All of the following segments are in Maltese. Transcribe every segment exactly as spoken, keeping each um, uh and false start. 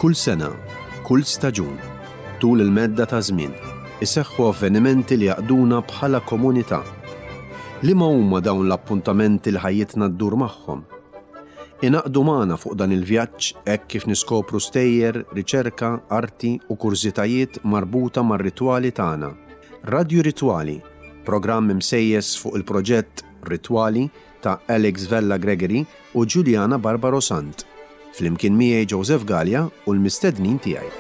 Kull sena, kull staġun, tul il-medda ta' żmien, iseħħu avvenimenti li jaqduna bħala komunità. Liema huma dawn l-appuntamenti li ħajjitna ddur magħhom? Ingħaqdu magħna fuq dan il-vjaġġ hekk kif niskopru stejjer, riċerka, arti u kurżitajiet marbuta mar-ritwali tagħna. Radju Ritwali, programm imsejjes fuq il-proġett Ritwali ta' Alex Vella Gregory u Giuliana Barbaro Sant. Flimkien miegħi Joseph Gallia u l-mistednin tiegħi.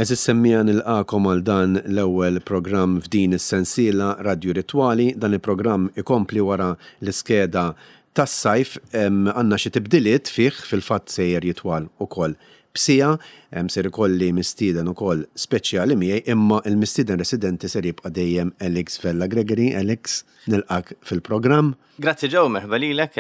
Għeżież semmiegħa, nilqagħkom għal dan l-ewwel programm f'din is-sensiela Radju Ritwali. Dan il-programm ikompli wara l-iskeda tas-sajf. Għandna xi tibdiliet fih, fil-fatt sejjer jitwal ukoll b'siegħa, ser ikolli mistieden ukoll speċjali miegħi, imma il-mistieden residenti ser jibqa' dejjem Alex Vella Gregory. Alex, nilqak fil-programm. Grazzi Joe, merħba lilek,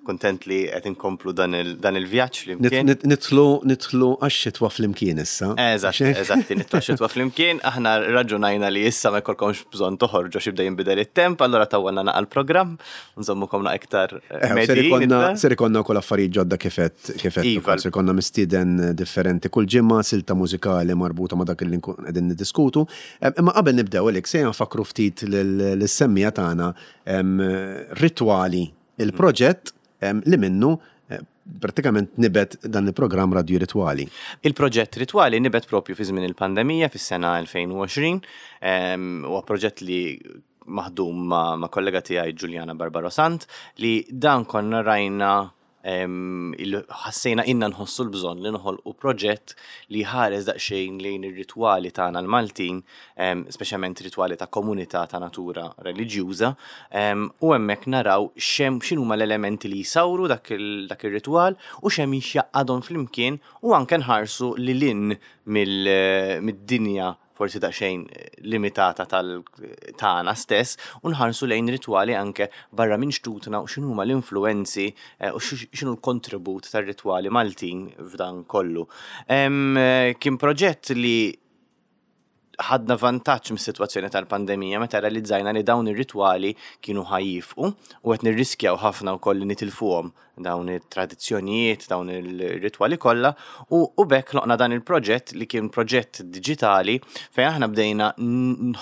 kontent li qed inkomplu dan il-vjaġġ flimkien. Nidħlu nidħlu għax-xitwa flimkien issa. Eżatt, eżatt, nidħlu għax-xitwa flimkien. Aħna raġunajna li issa ma jkollkomx bżonn toħorġu għax jibda jinbidel it-temp, allura tawwalna naqa l-programm, nżommukom naqa iktar medijin. Ser ikollna wkoll affarijiet ġodda kifet kifet. Iva. Ser ikollna mistieden differenti kull ġimgħa, silta mużikali marbuta ma' dak li nkun qegħdin niddiskutu. Imma qabel nibdew, Alex, se nfakru ftit lis-semmiegħa tagħna Ritwali, il-proġett li minnu pratikament nibet dan il-programm Radio Ritwali. Il-proġett Ritwali nibet propju fi żmien il-pandemija fis-sena elfejn u għoxrin, huwa proġett li maħdum ma', ma kollega tiegħi Giuliana Barbaro Sant, li dan konna rajna, ħassejna inna nħossu l-bżonn li noħolqu proġett li ħares daqsxejn lejn ir-ritwali tagħna l-Maltin, speċjalment ritwali ta' komunità ta' natura reliġjuża, u hemmhekk naraw xem x'inhuma l-elementi li jsawru dak ir-ritwal u x'hemm jgħaqqadhom flimkien, u anke nħarsu lil hinn mid-dinja forsi daqsxejn limitata tal-tagħna stess u nħarsu lejn ritwali anke barra minn xtutna u x'inhuma l-influenzi u x'inhu l-kontribut tar-ritwali Maltin f'dan kollu. Kien proġett li ħadna vantaġġ mis-sitwazzjoni tal-pandemija, meta realizzajna li dawn ir-ritwali kienu ħa jieqfu u qed nirriskjaw ħafna wkoll li nitilfuhom dawn it-tradizzjonijiet, dawn il-ritwali kollha, u, u b'hekk ħloqna dan il-proġett li kien proġett diġitali fejn aħna bdejna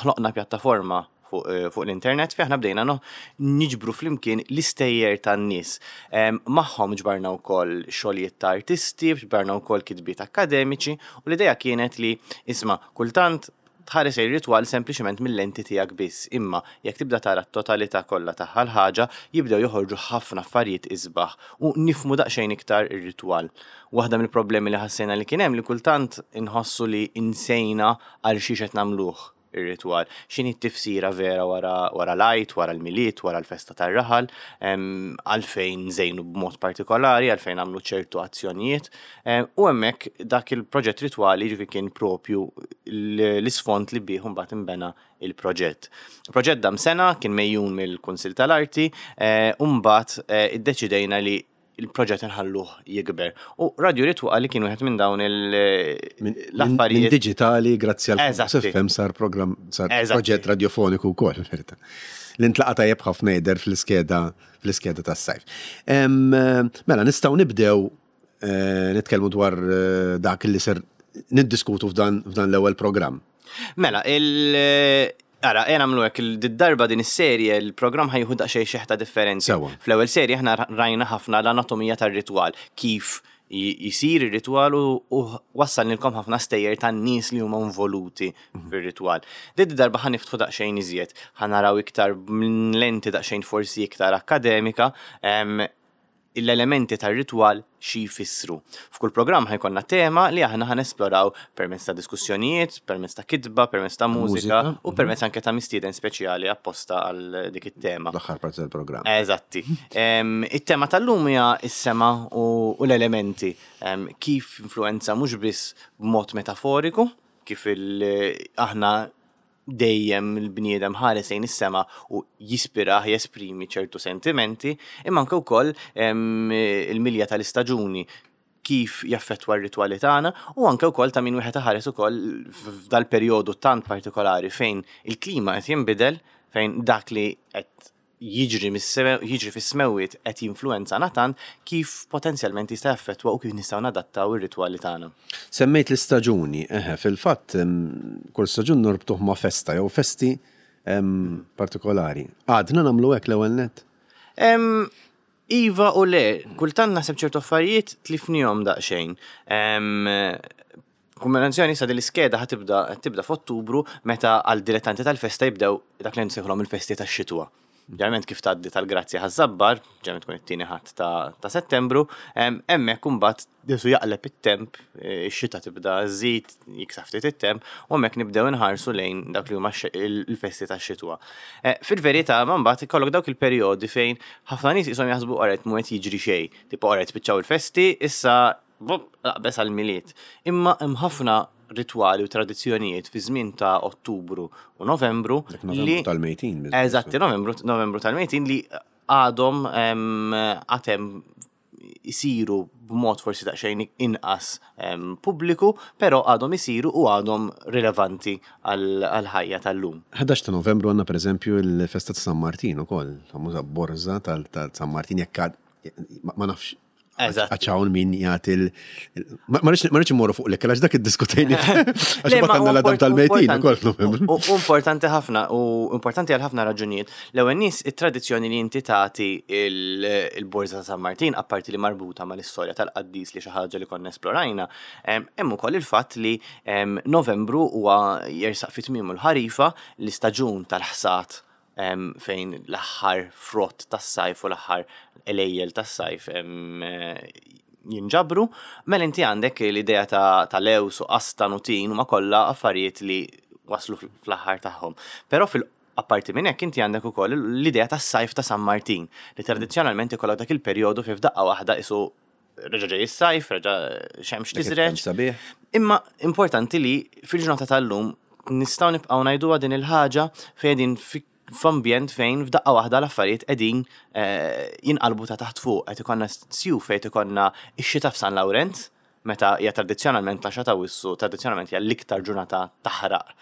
ħloqna pjattaforma fuq, fuq l-internet fejn aħna bdejna no, niġbru flimkien l-istejjer tan-nies. Magħhom ġbarna wkoll xogħlijiet ta' artisti, ġbarna wkoll kitbiet akademiċi, u l-idea kienet li, isma', kultant tħares ir-ritwal sempliċement mill-lenti tiegħek biss, imma jekk tibda tara t-totalità kollha tagħha l-ħaġa, jibdew joħorġu ħafna affarijiet isbaħ u nifhmu daqsxejn iktar ir-ritwal. Waħda mill-problemi li ħassejna li kien hemm li kultant inħossu li insejna għal xiex qed nagħmluh ir-ritwal. X'inhi t-tifsira vera wara, wara l-Għid, wara l-Milied, wara l-festa tar-raħal, għalfejn żejnu b'mod partikolari, għalfejn għamlu ċertu azzjonijiet. U hemmhekk dak il-proġett Ritwali ġifi kien propju l-isfond li bih mbagħad inbena il-proġett. Il-proġett dam sena, kien megħjun mill-Kunsill tal-Arti, u mbagħad iddeċidejna li il-proġett nħalluh jikber. U Radio Ritwali kien wieħed minn dawn l-affarijiet. Minn diġitali, grazzi għal Eżatti. F M sar program, sar Eżatti. proġett radiofoniku wkoll, verità. L-intlaqa tajjeb ħafna jidher fl-iskeda fl-iskeda tas-sajf. Em, Mela, nistgħu nibdew eh, nitkellmu dwar eh, dak li ser niddiskutu f'dan f'dan l-ewwel programm. Mela, il- Ara, jena għamlu hekk, il-darba din is-serje, il-programm ħa jieħu daqsxejn xeħta differenti. Sewa. Fl-ewwel serje aħna rajna ħafna l-anatomija tar-ritwal, kif jisir ir-ritwal u, u wassalnilkom ħafna stejjer tan-nies li huma involuti fir-ritwal. Din darba ħa niftħu daqsxejn iżjed, ħa naraw iktar minn lenti daqsxejn forsi iktar akademika, em, l-elementi tar-ritwal xi jfissru. F'kull programm ħa jkollna tema li aħna ħa nesploraw permezz ta' diskussjonijiet, permezz ta' kitba, permezz ta' mużika Mużika, u permezz anke ta' mistieden speċjali apposta għal dik it-tema. L-aħħar parti tal-programm. Eżatti. Em, It-tema tal-lum hija s-sema u, u l-elementi. Em, kif influenza mhux biss b'mod metaforiku, kif il- aħna dejjem il-bniedem ħares lejn is-sema u jispirah, jesprimi ċertu sentimenti, imma anke wkoll em, il-milja tal-istaġuni, kif jaffettwa r-ritwali tagħna, u anke wkoll ta' min wieħed iħares ukoll f'dal-perjodu tant partikolari fejn il-klima qed jinbidel, fejn dak li qed jiġri mis-seme- jiġri fis-smewwiet qed jinfluwenzana tant, kif potenzjalment jista' jaffettwa u kif nistgħu nadattaw ir-ritwali tagħna. Semmejt l-istaġuni, eħe, fil-fatt em, kull staġun norbtuh ma' festa jew festi em, partikolari. Għadna nagħmlu hekk l-ewwel net? Em, Iva u le, kultant naħseb ċertu affarijiet tlifnihom daqsxejn. Em, Kombinazzjoni sa l-iskeda ħa tibda tibda f'Ottubru, meta għal dilettanti tal-festa jibdew dak li nsejħulhom il-festi tax-xitwa. Ġeneralment kif tgħaddi tal-Grazzja Ħaż-Żabbar, ġeneralment tkun it-tieni Ħadd ta' ta' Settembru, em, hemmhekk imbagħad jisu jaqleb it-temp, eh, ix-xita tibda żżid, jiksaħ ftit it-temp, u hemmhekk nibdew inħarsu lejn dak li huma x- il-festi tax-xitwa. Eh, Fil-verità, ma mbagħad ikollok dawk il-perjodi fejn ħafna nies qishom jaħsbu qaret mhu qed jiġri xejn. Tipo qaret spiċċaw il-festi, issa bop, aqbeż għall-Milied. Imma hemm ħafna ritwali u tradizzjonijiet fi żmien ta' Ottubru u Novembru Dak Novembru li tal-mejtin. Eżatti, Novembru, Novembru tal-mejtin li għadhom em, għatem isiru b'mod forsi daqsxejn inqas em, pubbliku, però għadhom isiru u għadhom rilevanti għal-ħajja tal-lum. ħdax ta' Novembru għandna, per eżempju, il-festa ta' San Martin ukoll, famuża borza tal tal San Martin, jekk għad- ma ma nafx. Eżatt. Għax hawn min jagħti il. Ma ma rridx ma rridx immorru fuq l-ikel għax dak iddiskutejni. Għax Le, ma mbagħad għandna u l-għadam import- tal-mejtin ukoll importanti- f'Novembru. U u importanti ħafna, u importanti għal ħafna raġunijiet. L-ewwel nies, it-tradizzjoni li inti tagħti il- il-Borza ta' San Martin, apparti li marbuta mal-istorja tal-qaddis, li xi ħaġa li konna esplorajna, em, hemm ukoll il-fatt li em, Novembru huwa jersaq fi tmiemu l-ħarifa, l-istaġun tal-ħsat, em, fejn l-aħħar frott tas-sajf u l-aħħar għelejjel tas-sajf em, eh, jinġabru, mela inti għandek l-idea ta', ta' lews u qastan u tin, huma kollha affarijiet li waslu fl- fl-aħħar tagħhom. Però fil apparti minn hekk inti għandek ukoll l-idea tas-sajf ta' San Martin, li tradizzjonalment ikollok dak il-perjodu fejn f'daqqa waħda isu reġa' ġej is-sajf, reġa' xemx Dak it-temp tiżreġ. sabiħ. Imma importanti li fil-ġurnata tal-lum nistgħu nibqgħu ngħiduha din il-ħaġa fejn din fi- f'ambjent fejn f'daqqa waħda l-affarijiet qegħdin eh, jinqalbu ta' taħt fuq, qed ikollna sjuf fejn ikollna x-xita f'San Lawrenz, meta hija tradizzjonalment l-għaxra ta' Awwissu, tradizzjonalment hija l-iktar ġurnata taħraq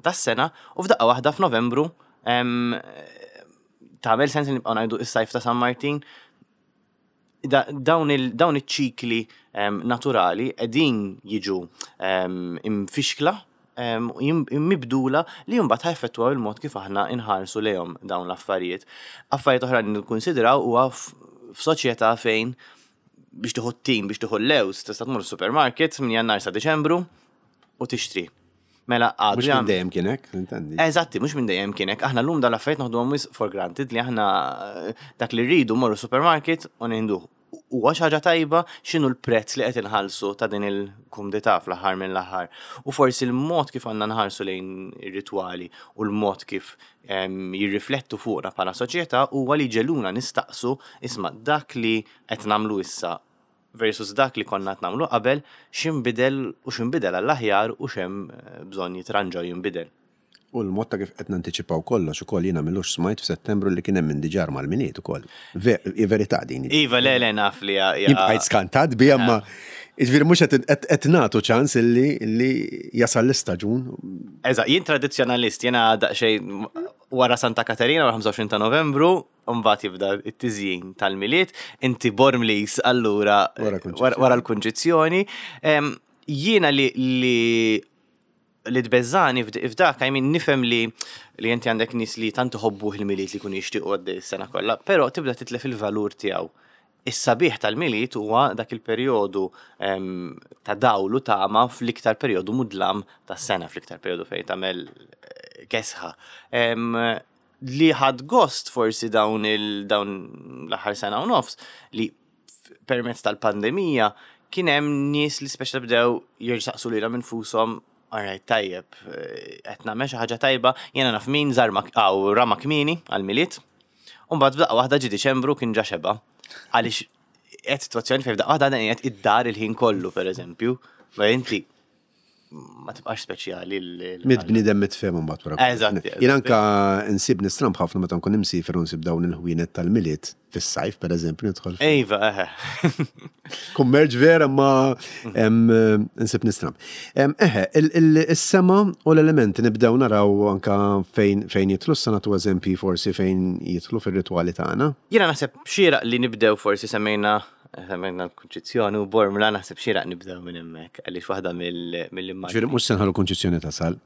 tas-sena, u f'daqqa waħda f'Novembru em, tagħmel sens li nibqgħu ngħidu is-sajf ta' San Martin? da, dawn il dawn iċ-ċikli em, naturali qegħdin jiġu em, imfixkla em, u jim- mibdula, li mbagħad ħa jaffettwaw il-mod kif aħna inħarsu lejhom dawn l-affarijiet. Affarijiet oħra li nikkunsidraw huwa f- f'soċjetà fejn biex tieħu t-tin, biex tieħu l-lews, tista' tmur supermarket minn Jannar sa Deċembru u tixtri. Mela għadu Mhux minn jagħmel- dejjem kien hekk, intendi. Eżatti, mhux minn dejjem kien hekk. Aħna llum dan l-affarijiet noħduhom wisq for granted, li aħna eh, dak li rridu morru supermarket u nieħduh. Huwa xi ħaġa tajba? X'inhu l-prezz li qed inħallsu ta' din il-kumdità fl-aħħar mill-aħħar? U forsi l-mod kif għandna nħarsu lejn ir-ritwali u l-mod kif em, jirriflettu fuqna bħala soċjetà huwa li jġegħluna nistaqsu, isma', dak li qed nagħmlu issa versus dak li konna qed nagħmlu qabel, x'inbidel u x'inbidel għall-aħjar u x'hemm eh, bżonn jitranġa u jinbidel. U l-mod ta' kif qed nantiċipaw kollox ukoll. Jiena m'ilux smajt f'Settembru li kien hemm min diġà mal-Milied ukoll. Ve- Verità din? Iva, le, le, naf li ja- ja- Jien bqajt skantat bi, imma jiġifieri mhux qed qed- qed nagħtu ċans illi illi jasal l-istaġun. Eżatt, jien tradizzjonalist, jiena daqsxejn wara Santa Katerina, wara ħamsa u għoxrin ta' Novembru, mbagħad jibda it-tiżjin tal-Milied, inti Bormlis allura Wara Kunċizzjoni. wara wara l-Kunċizzjoni. Em, Jiena li li li tbeżżani f'd- f'dak, I mean, nifhem li li inti għandek nies li tant iħobbu il-Milied li jkunu jixtiequ għaddej is-sena kollha, però tibda titlef il-valur tiegħu. Is-sabiħ tal-Milied huwa dak il-perjodu em, ta' dawl u tama fl-iktar perjodu mudlam tas-sena, fl-iktar perjodu fejn tagħmel eh, kesħa. Em, Li ħad gost forsi dawn il dawn l-aħħar sena u nofs li f- permezz tal-pandemija kien hemm nies li speċa bdew jirsaqsu lilhom infushom, "Alright, tajjeb, eh, qed nagħmel xi ħaġa tajba?" Jiena naf min żarma aw rama kmieni għall-Milied. U mbagħad f'daqqa waħda ġi Diċembru, kien ġa xeba. Għaliex qed sitwazzjoni fejn f'daqqa waħda dan qiegħed id-dar il-ħin kollu, pereżempju. Ma inti ma tibqax speċjali. Mitt bniedem mitt fehma mbagħad wara. Eżatt. Jien anka nsib nistramb ħafna meta nkun imsiefer u nsib dawn il-ħwienet tal-Milied fis-sajf, pereżempju, nidħol. Iva, eħe. Kummerċ vera, ma nsib nistramb. Eħe, is-sema u l-elementi nibdew naraw anka fejn fejn jidħlu, sa nagħtu eżempji forsi fejn jidħlu fir-ritwali tagħna. Jiena naħseb xieraq li nibdew, forsi semmejna semmejna l-Kunċizzjoni u Bormla, naħseb xieraq nibdew minn hemmhekk, għaliex waħda mill-immaġni. Ġifieri mhux se nħallu Kunċizzjoni tasal.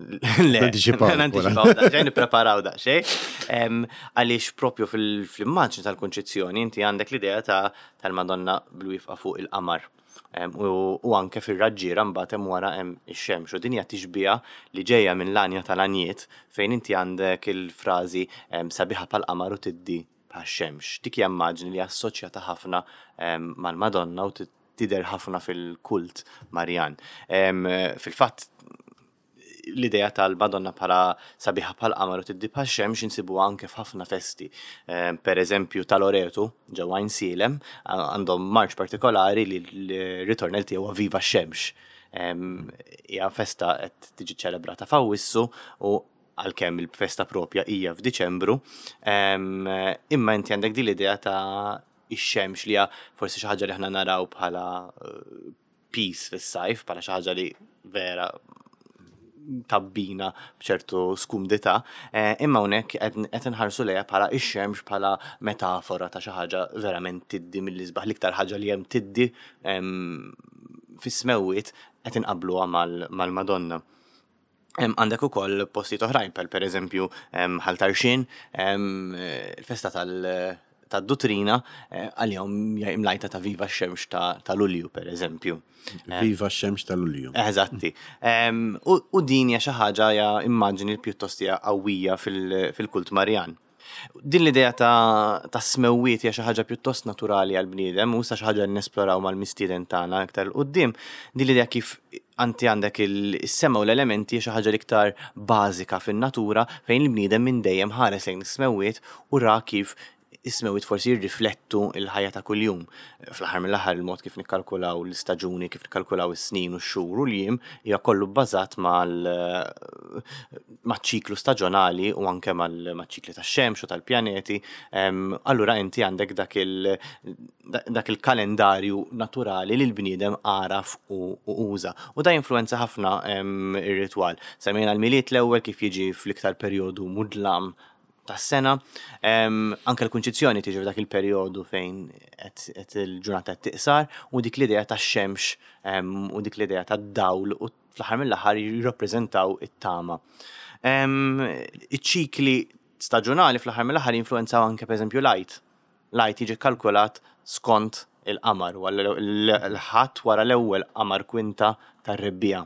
Le, Nanticipaw. Nanticipaw daqsxejn, nippreparaw daqsxejn. Għaliex propju fil-immaġni tal-Kunċizzjoni inti għandek l-idea ta' tal-Madonna bil-wifqa fuq il-qamar. U anke fir-raġġiera mbagħad hemm wara hemm ix-xemx, u din hija tixbiha li ġejja minn l-Għanja tal-Għanjiet, fejn inti għandek il-frażi "sabiħa bħall-qamar u tiddi bħax-xemx". Dik hija immaġni li assoċjata ħafna mal-Madonna u tidher ħafna fil-kult Marjan. Fil-fatt, l-idea tal-Madonna bħala sabiħa bħal qamar u tiddi bħal xemx insibu anke f'ħafna festi. Per eżempju, ta' Loretu ġewwa Għajnsielem għandhom marċ partikolari li l-ritornell tiegħu "Viva x-xemx". Hija festa qed tiġi ċelebrata f'Awwissu u għalkemm il-festa propja hija f'Diċembru, imma inti għandek din l-idea ta' ix-xemx li hija forsi xi ħaġa li aħna naraw bħala eh, piż fis-sajf, bħala xi ħaġa li vera tabbina b'ċertu skumdità, eh, imma hawnhekk qed inħarsu lejha bħala ix-xemx, bħala metafora ta' xi ħaġa verament tiddi mill-isbaħ, l-iktar ħaġa li hemm tiddi fis-smewwiet qed inqabluha mal-Madonna. Għandek ukoll postijiet oħrajn, per per eżempju Ħal Tarxien, il-festa tal- tad-Duttrina eh, għalihom imlajta ta' "Viva x-xemx ta' Lulju", per eżempju. "Viva x-xemx ta' Lulju". Eżatti. U din hija xi ħaġa, hija immaġni pjuttost hija qawwija fil-kult Marjan. Din l-idea ta', ta smewwiet hija xi ħaġa pjuttost naturali għal bniedem u sa xi ħaġa nesploraw mal-mistieden tagħna aktar 'il quddiem. Din l-idea kif anti għandek il-sema u l-elementi xi ħaġa l-iktar bażika fin-natura, fejn il-bniedem minn dejjem ħares lejn is-smewwiet u ra kif is-smewwiet forsi jirriflettu il-ħajja ta' kuljum. Fl-aħħar mill-aħħar, il-mod kif nikkalkulaw l-istaġuni, kif nikkalkulaw is-snin u x-xhur u l-jiem hija kollu bbażat mal-ċiklu staġjonali u anke mal-ċikli tax-xemx u tal-pjaneti. Allura inti għandek dak il- dak il-kalendarju naturali li l-bniedem għaraf u uża. U da influenza ħafna ir-ritwal. Semmejna l-Milied l-ewwel, kif jiġi fl-iktar perjodu mudlam tas-sena. Anke l-Kunċizzjoni tiġi f'dak il-perjodu fejn qed il-ġurnata qed tiqsar u dik l-idea tax-xemx u dik l-idea tad-dawl u fl-aħħar mill-aħħar jirrappreżentaw it-tama. Iċ-ċikli staġjonali fl-aħħar mill-aħħar jinfluenzaw anke, pereżempju, l-Għid. L-Għid jiġi kalkulat skont il-qamar, l-Ħadd wara l-ewwel qamar kwinta tar-rebbiegħa.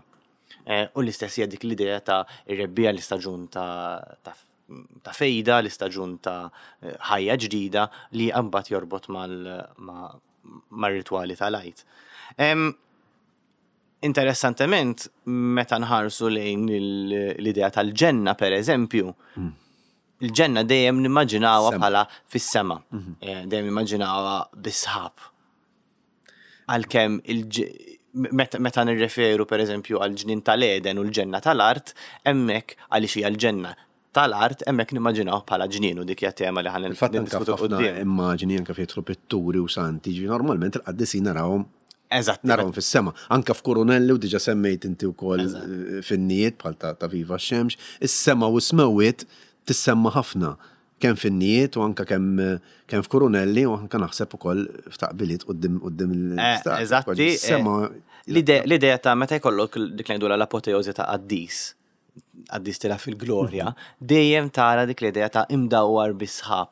Eh, u l-istess hija dik l-idea ta' ir-rebbiegħa, l-istaġun ta' ta' fejda, l-istaġun ta' ħajja ġdida li mbagħad jorbot mal-ritwali tal-Għid. Interessantement, meta nħarsu lejn l-idea tal-ġenna, per eżempju, mm. il-ġenna dejjem nimmaġinawha bħala fis-sema, mhm. eh, dejjem nimmaġinawha bis-sħab. Għalkemm meta nirreferu, per eżempju, għal ġnien tal-Eden u l-ġenna tal-art, hemmhekk għaliex hija l-ġenna tal-art, hemmhekk nimmaġinaw bħala ġnien u dik hija tema li ħa Il-fatt anke ħafna immaġini, anke fejn pitturi u santi, ġi normalment il-qaddisin narawhom Eżatt. narawhom fis-sema. Anke f'kurunelli u diġà semmejt inti wkoll f'innijiet bħal ta' "Viva x-xemx", is-sema u smewwiet tissemma ħafna kemm f'innijiet u anke kemm kemm f'kurunelli u anke naħseb ukoll f'taqbiliet quddiem quddiem l-istat. Eżatti. Sema. L-idea ta' meta jkollok dik li ngħidu l-apoteosi ta' qaddis, qaddis tila fil-glorja, dejjem tara dik l-idea ta' imdawwar bis-sħab.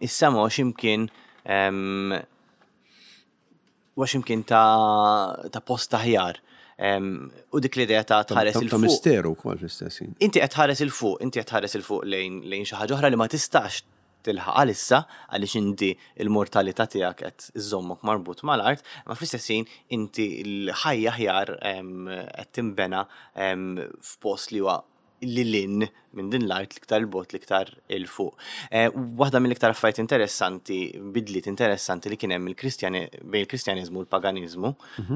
Is-sema x'imkien wa x'imkien ta' ta' post aħjar. U dik l-idea ta' tħares 'il fuq. Ta' misteru wkoll fl-istess. Inti qed tħares 'il fuq, inti qed tħares 'il fuq lejn lejn xi ħaġa oħra li ma tistax tilħaq għalissa għaliex inti il-mortalità tiegħek qed iżommok marbut mal-art, ma fl-istess ħin inti l-ħajja aħjar qed tinbena f'post li huwa lil hinn minn din l-art, l-iktar 'il bogħod, l-iktar 'il fuq. Eh, waħda mill-iktar affarijiet interessanti, bidliet interessanti li kien hemm il-Kristjani bejn il-Kristjaniżmu u l-paganiżmu,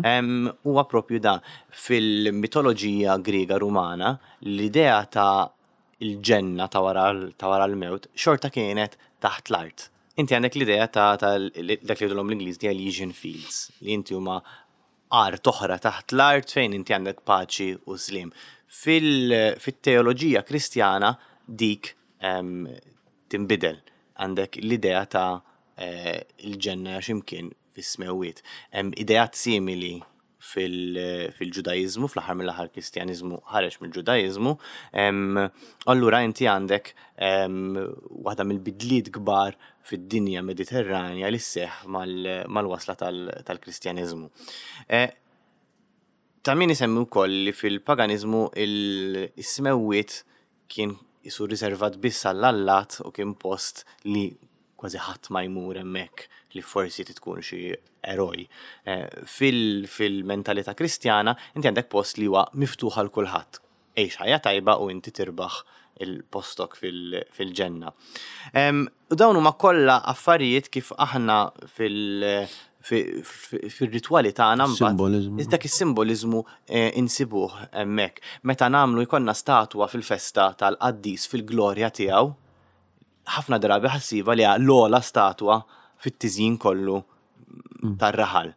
em, huwa propju da fil-mitoloġija Griega Rumana, l-idea ta' il-ġenna ta' wara ta' wara l-mewt xorta kienet taħt l-art. Inti għandek l-idea ta' ta' dak li jgħidulhom l-Ingliż the Elysian Fields, li inti huma art oħra taħt l-art fejn inti għandek paċi u slim. Fil-teoloġija Kristjana dik em, tinbidel. Għandek l-idea ta' eh, il-ġenna ximkien fis-smewwiet. Hemm ideat simili fil- fil-Ġudaiżmu, fl-aħħar mill-aħħar Kristjaniżmu ħareġ mill-Ġudaiżmu. Em, Allura inti għandek em, waħda mill-bidliet kbar fid-dinja Mediterranja li sseħħ mal- mal-wasla tal- tal-Kristjaniżmu. Eh, Ta' min isemmi wkoll li fil-paganiżmu il-smewwiet kien isu riservat biss għall-allat u kien post li kważi ħadd ma jmur hemmhekk, li forsi tkun xi eroj. Eh, fil- Fil-mentalità Kristjana inti għandek post li huwa miftuħ għal kulħadd. Għix ħajja tajba u inti tirbaħ il-postok fil- fil-ġenna. Em, U dawn huma kollha affarijiet kif aħna fil- fi- fi- fil-ritwali tagħna mbagħad Simboliżmu. dak is-simboliżmu eh, insibuh hemmhekk. Meta nagħmlu jkollna statwa fil-festa tal-qaddis fil-glorja tiegħu, ħafna drabi ħa ssibha li l-ogħla statwa fit-tiżjin kollu tar-raħal.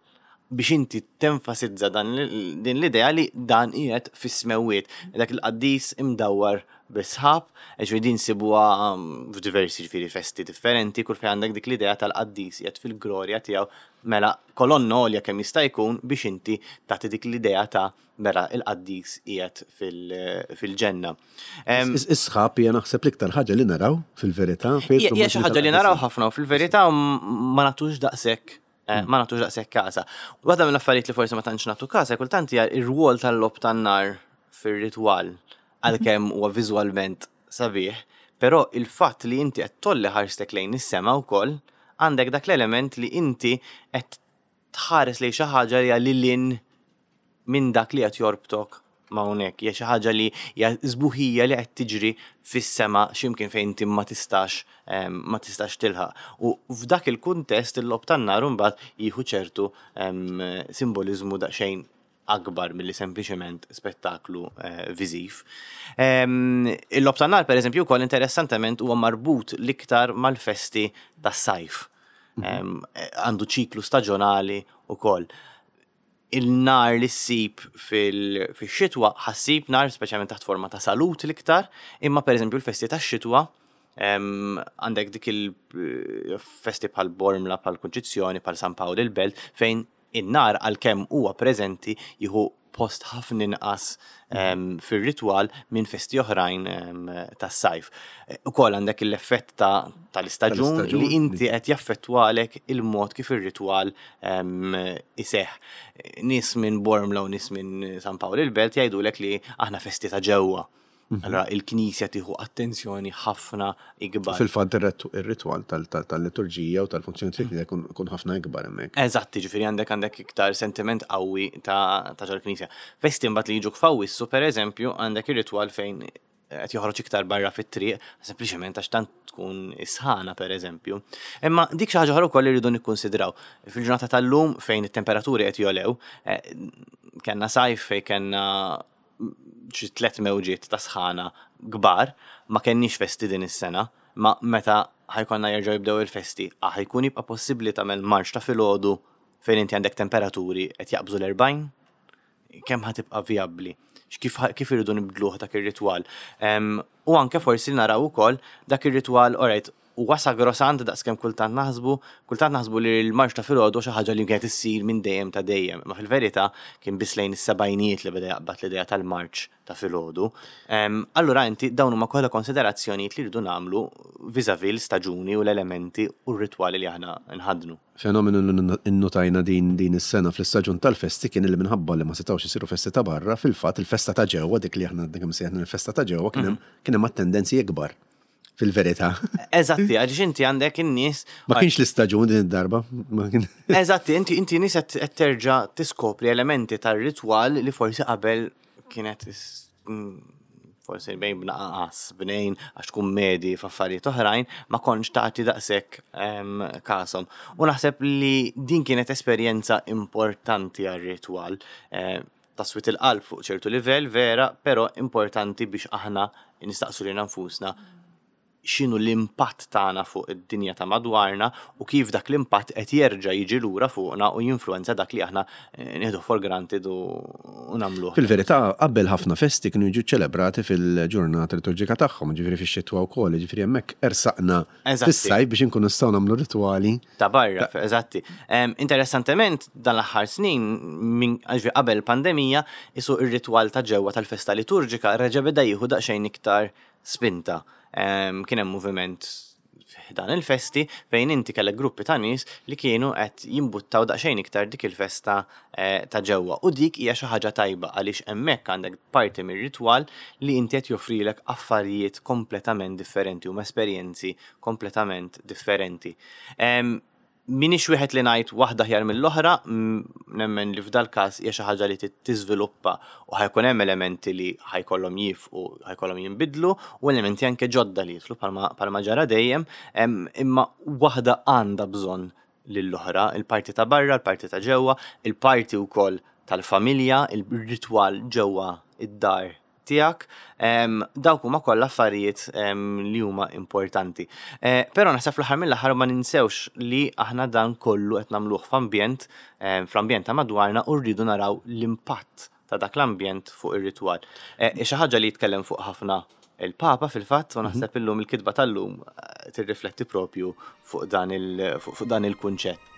Biex inti tenfasizza dan l- din l-idea li dan qiegħed fis-smewwiet. Dak il-qaddis imdawwar bis-sħab, ġifieri din sibuha um, f'diversi, ġifieri, festi differenti, kull fejn għandek dik l-idea tal-qaddis qiegħed fil-glorja tiegħu, mela kolonna għolja kemm jista' jkun biex inti tagħti dik l-idea ta' mela il-qaddis qiegħed fil- fil-ġenna. Em, Is- Is-sħab hija, naħseb, l-iktar ħaġa li naraw fil-verità. Hija hija xi ħaġa li naraw ħafna u fil-verità m- ma nagħtux daqshekk eh, ma nagħtux daqshekk kasa. Waħda mill-affarijiet li forsi ma tantx nagħtu kasa kultant hija ir-rwol tal-logħob tan-nar fir-ritwal, għalkemm huwa viżwalment sabiħ, però il-fatt li inti qed tgħolli ħarstek lejn is-sema wkoll, għandek dak l-element li inti qed tħares lejn xi ħaġa li hija lil hinn minn dak li qed jorbtok ma' hawnhekk, hija xi ħaġa li hija sbuħija li qed tiġri fis-sema x'imkien fejn inti ma tistax em, ma tistax tilħaq. U f'dak il-kuntest il-logħob tan-nar imbagħad jieħu ċertu em, simboliżmu daqsxejn akbar milli sempliċement spettaklu eh, viżiv. Em, Il-logħob tan-nar, pereżempju, wkoll interessantement huwa marbut l-iktar mal-festi tas-sajf. Em, Għandu ċiklu staġjonali ukoll. Il-nar li ssib fil-xitwa, ħa ssib nar speċjalment taħt forma ta' salut l-iktar, imma pereżempju l-festi tax-xitwa em, għandek dik il-festi bħal Bormla, bħal Kunċizzjoni, bħal San Pawl il-Belt, fejn in-nar għalkemm huwa preżenti jieħu post ħafna inqas em, fir-ritwal minn festi oħrajn em, tas-sajf. Eh, Ukoll għandek l-effett ta' tal-istaġun Tal-istaġun. li inti qed jaffettwalek il-mod kif ir-ritwal em, iseħħ. Nies minn Bormla u nies minn San Pawl il-Belt jgħidulek li aħna festi ta' ġewwa. Allora il-Knisja tieħu attenzjoni ħafna ikbar. Fil-fatt ir-ritwal tal-liturġija u tal-funzjoni tal-Knisja jkun ħafna ikbar hemmhekk. Eżatt, ġifieri għandek għandek iktar sentiment qawwi ta' ta' ġol-Knisja. Festi mbagħad li jiġu f'Awwissu, pereżempju, għandek ir-ritwal fejn qed joħroġ iktar barra fit-triq, sempliċement għax tant tkun isħana, pereżempju. Imma dik xi ħaġa oħra wkoll irridu nikkonsidraw. Fil-ġurnata tal-lum fejn it-temperaturi qed jogħlew, eh, kellna sajf fejn kellna xi tliet mewġiet ta' sħana kbar, ma kenniex festi din is-sena, ma meta ħa jkollna jerġgħu jibdew il-festi, ah, ħa jkun jibqa' possibbli tagħmel marċ ta' filgħodu fejn inti għandek temperaturi qed jaqbżu l-erbgħin? Kemm ħa tibqa' vijabbli? Kif kif irridu nibdluh dak ir-ritwal? Em, U anke forsi naraw ukoll dak ir-ritwal, alright, huwa sagrosant daqskemm kultant naħsbu, kultant naħsbu li l-marċ ta' filgħodu xi ħaġa li kienet issir minn dejjem ta' dejjem, ma fil-verità kien biss lejn is-sebgħinijiet li beda jaqbad l-idea tal-marċ ta' filgħodu. Em, Allura inti dawn huma kollha konsiderazzjonijiet li rridu nagħmlu vis-à-vis l-staġuni u l-elementi u r-ritwali li aħna nħadnu. Fenomenu li innotajna din din is-sena fl-istaġun tal-festi kien li minħabba li ma setgħux isiru festi ta' barra, fil-fatt il-festa ta' ġewwa, dik li aħna kemm sejħna il-festa ta' ġewwa, kien hemm kien hemm attendenzi ikbar fil-verità. Eżatti, għaliex inti għandek in-nies Ma kienx l-istaġun din id-darba. ma kien- Eżatti, inti inti nies qed qed terġa' tiskopri elementi tar-ritwal li forsi qabel kienet is- mm, forsi bejn b'naqas, bnejn għax tkun medi f'affarijiet oħrajn, ma kontx tagħti daqshekk kashom. U naħseb li din kienet esperjenza importanti għar-ritwal. Eh, taswit il-qalb fuq ċertu livell vera, però importanti biex aħna nistaqsu lilna nfusna x'inhu l-impatt tagħna fuq id-dinja ta' madwarna u kif dak l-impatt qed jerġa' jiġi lura fuqna u jinfluwenza dak li aħna eh, nieħdu for granted u nagħmluh. Fil-verità, qabel ħafna festi kienu jiġu ċelebrati fil-ġurnata liturġika tagħhom, ġifieri fix-xitwa wkoll, ġifieri hemmhekk ersaqna fis-sajf biex inkunu nistgħu nagħmlu ritwali. Ta' barra, eżatti. Interessantement, dan l-aħħar snin, minn qabel pandemija, isu ir-ritwal ta' ġewwa tal-festa liturġika reġa' beda jieħu daqsxejn iktar spinta. Kien hemm moviment dan il-festi fejn inti kellek gruppi ta' nies li kienu qed jimbuttaw daqsxejn iktar dik il-festa eh, ta' ġewwa. U dik hija xi ħaġa tajba għaliex hemmhekk għandek parti mir-ritwal li inti qed joffrilek affarijiet kompletament differenti u esperjenzi kompletament differenti. Minix wieħed li ngħid waħda aħjar mill-oħra, nemmen li f'dal każ hija xi ħaġa li tiżviluppa u ħajkun hemm elementi li ħajkollhom jifqu, ħajkollhom jinbidlu u elementi anke ġodda li jidħlu bħalma ġara dejjem, imma waħda għandha bżonn lill-oħra, il-parti ta' barra, il-parti ta' ġewwa, il-parti wkoll tal-familja, il-ritwal ġewwa id-dar tiegħek, dawk huma kollha affarijiet li huma importanti. Eh, però naħseb fl-aħħar mill-aħħar ma ninsewx li aħna dan kollu qed nagħmluh f'ambjent, fl-ambjent ta' madwarna u rridu naraw l-impatt ta' dak l-ambjent fuq ir-ritwal. Eh, xi ħaġa li jitkellem fuq ħafna il-Papa fil-fatt, u naħseb illum il-kitba tal-lum eh, tirrifletti propju fuq dan il-kunċett.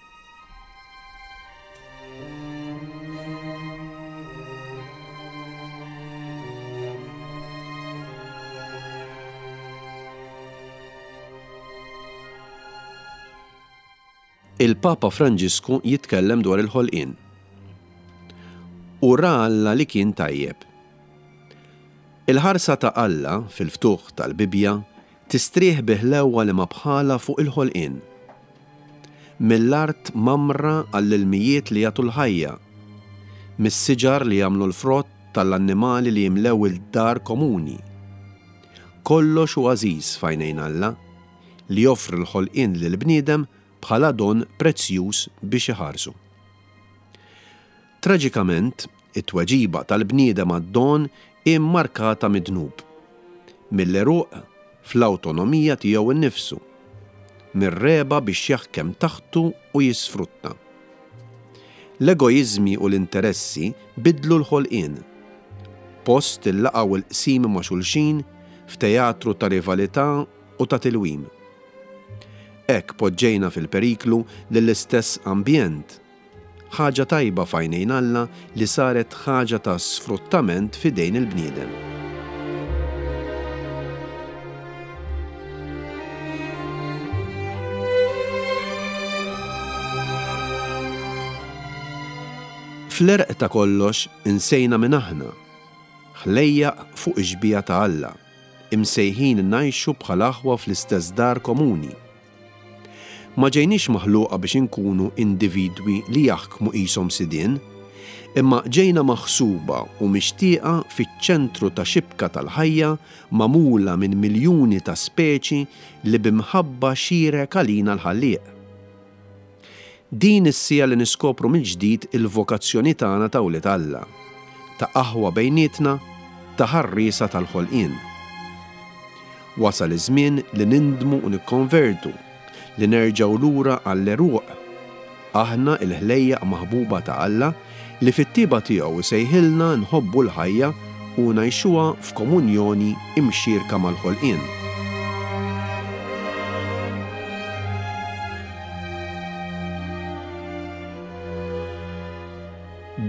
Il-Papa Franġisku jitkellem dwar il-ħolqien. U ra Alla li kien tajjeb. Il-ħarsa ta' Alla fil-ftuħ tal-Bibbja tistrieħ bi ħlewwa li ma bħala fuq il-ħolqien. Mill-art mamra għall-ilmijiet li jagħtu l-ħajja, mis-siġar li jagħmlu l-frott tal-annimali li jimlew il-dar komuni. Kollox hu għażiż f'għajnejn Alla li joffri l-ħolqien lill-bniedem bħala don prezzjuż biex iħarsu. Traġikament, it-tweġiba tal-bniedem għad-don hi mmarkata mid-dnub, mill-għeruq fl-awtonomija tiegħu nnifsu, mir-regħba biex jaħkem taħtu u jisfrutta. L-egoiżmi u l-interessi bidlu l-ħolqien. Post il-laqgħa u l-qsim ma' xulxin f'teatru ta' rivalità u ta' tilwim. Hekk poġġejna fil-periklu lill-istess ambjent, ħaġa tajba f'għajnejn Alla li saret ħaġa ta' sfruttament f'idejn il-bniedem. Fl-għerq ta' kollox insejna min aħna, ħlejjaq fuq ix-xbieha ta' Alla, imsejħin ngħixu bħal aħwa fl-istess dar komuni. Ma ġejniex maħluqa biex inkunu individwi li jaħkmu qishom sidien, imma ġejna maħsuba u mixtieqa fiċ-ċentru ta' xibka tal-ħajja magħmula minn miljuni ta' speċi li bimħabba xierek għalina l-Ħallieq. Din is-sija li niskopru mill-ġdid il-vokazzjoni tagħna ta' wlied Alla, ta' aħwa bejnietna, ta' ħarriesa tal-ħolqien. Wasal iż-żmien li nindmu u nikkonvertu, li nerġgħu lura għall-għeruq. Aħna il-ħlejjaq maħbuba ta' Alla li fit-tiba tiegħu sejħilna nħobbu l-ħajja u ngħixuha f'komunjoni imxierka mal-ħolqien.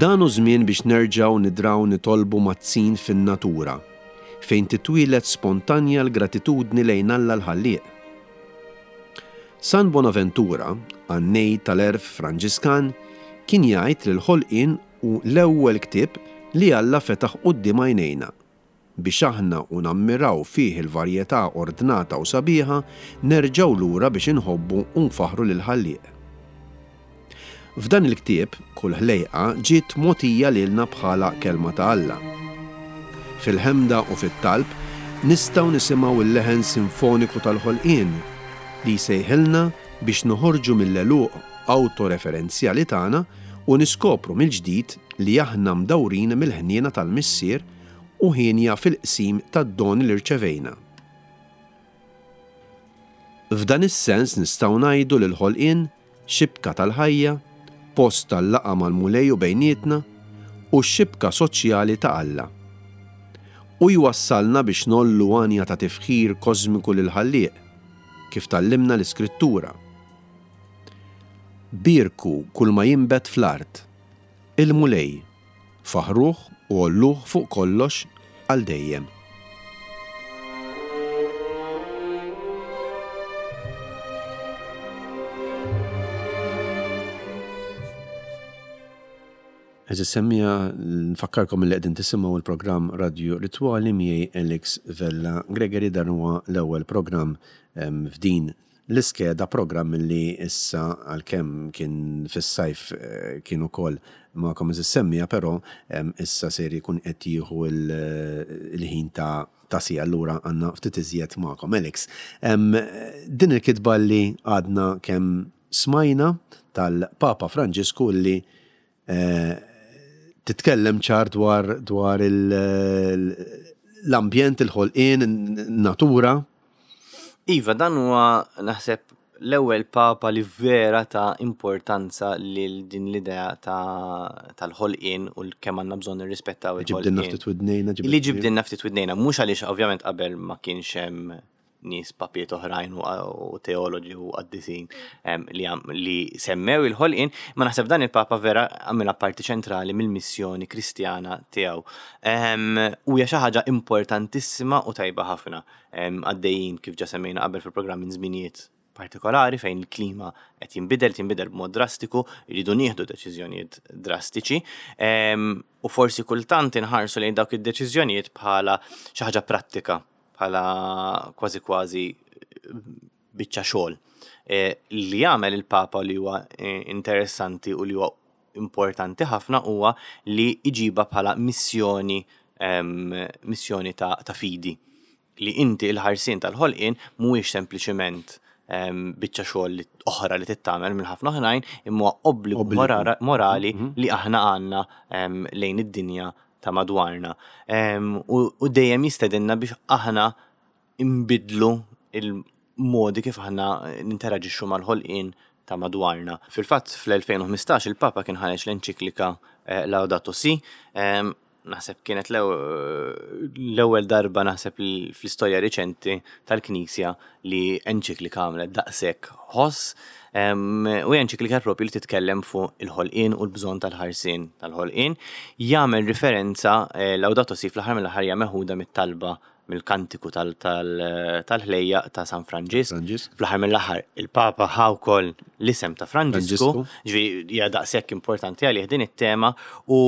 Dan hu żmien biex nerġgħu nidraw nitolbu mazzin fin-natura, fejn titwieled spontanja l-gratitudni lejn Alla l-Ħallieq. San Bonaventura, għannej tal-għerf Franġiskan, kien jgħid li l-ħolqien hu l-ewwel ktieb li Alla fetaħ quddiem għajnejna, biex aħna u nammiraw fih il-varjetà ordnata u sabiħa nerġgħu lura biex inħobbu u nfaħru lil Ħallieq. F'dan il-ktieb, kull ħlejqa ġiet mogħtija lilna bħala kelma ta' Alla. Fil-ħemda u fit-talb nistgħu nisimgħu l-leħen sinfoniku tal-ħolqien li jsejħilna biex noħorġu mill-għeluq awtoreferenzjali tagħna u niskopru mill-ġdid li aħna mdawrin mill-ħniena tal-Missier u ħienja fil-qsim tad-doni li rċevejna. F'dan is-sens nistgħu ngħidu li l-ħolqien xibka tal-ħajja, post tal-laqgħa mal-Mulej u bejnietna u x-xibka soċjali ta' Alla. U jwassalna biex ngħollu għanja ta' tifħir kosmiku lil-Ħallieq, kif tgħallimna l-Iskrittura. Bierku kull ma jinbet fl-art, il-Mulej, faħruh u għolluh fuq kollox għal dejjem. Għeżież semmiegħa, nfakkarkom li qegħdin tisimgħu il-programm Radio Ritwali miegħi Alex Vella Gregory. Dan huwa l-ewwel programm f'din l-iskeda, programm li issa għalkemm kien fis-sajf kien ukoll magħkom għeżież semmiegħa, però issa ser jkun qed jieħu il-ħin ta' ta' sija, allura għandna ftit iżjed magħkom. Alex, din il-kitba li għadna kemm smajna tal-Papa Franġisku li titkellem ċar dwar dwar l-ambjent, il-ħolqien, natura. Iva, dan huwa naħseb l-ewwel papa li vera ta' importanza lil din l-idea tal-ħolqien u kemm għandna bżonn nirrispettaw il-ħolqien. Ġibdilna ftit widnejna. Li ġibdilna ftit widnejna, mhux għaliex ovvjament qabel ma kienx hemm nies papiet oħrajn u teoloġi u qaddisin li semmew il-ħolqien, ma naħseb dan il-papa vera għamilha parti ċentrali mill-missjoni kristjana tiegħu. U hija xi ħaġa importantissima u tajba ħafna. Għaddejjin kif ġa semmejna qabel fil-programm minn żminijiet partikolari fejn il-klima qed jinbidel, tinbidel b'mod drastiku, jridu nieħdu deċiżjonijiet drastiċi, u forsi kultant inħarsu lejn dawk id-deċiżjonijiet bħala xi ħaġa prattika, bħala kważi kważi biċċa xogħol. Li jagħmel il-Papa li huwa interessanti u li huwa importanti ħafna huwa li jġibha bħala missjoni missjoni ta', ta' fidi. Li inti il-ħarsien tal-ħolqien mhuwiex sempliċement biċċa xogħol oħra li tittamel minn ħafna oħrajn, imma huwa obbligu morali li aħna għandna lejn id-dinja ta' madwarna. U dejjem jistedinna biex aħna imbidlu il-modi kif aħna ninteraġixxu mal-ħolqien ta' madwarna. Fil-fatt fl-elfejn u ħmistax il-Papa kien ħareġ l-enċiklika Laudato Si, naħseb kienet l-ewwel darba naħseb fl-istorja riċenti tal-Knisja li enċiklika għamlet daqshekk ħoss, u enċiklika propju li titkellem fuq il-ħolqien u l-bżonn tal-ħarsien tal-ħolqien. Jagħmel riferenza Laudato Si fl-aħħar mill-aħħar hija meħuda mit-talba mill-kantiku tal-ħlejjaq ta' San Franġisk. Fl-aħħar mill-aħħar il-Papa ħa wkoll l-isem ta' Franġisku, ġifieri hija daqshekk importanti għalih din it-tema. U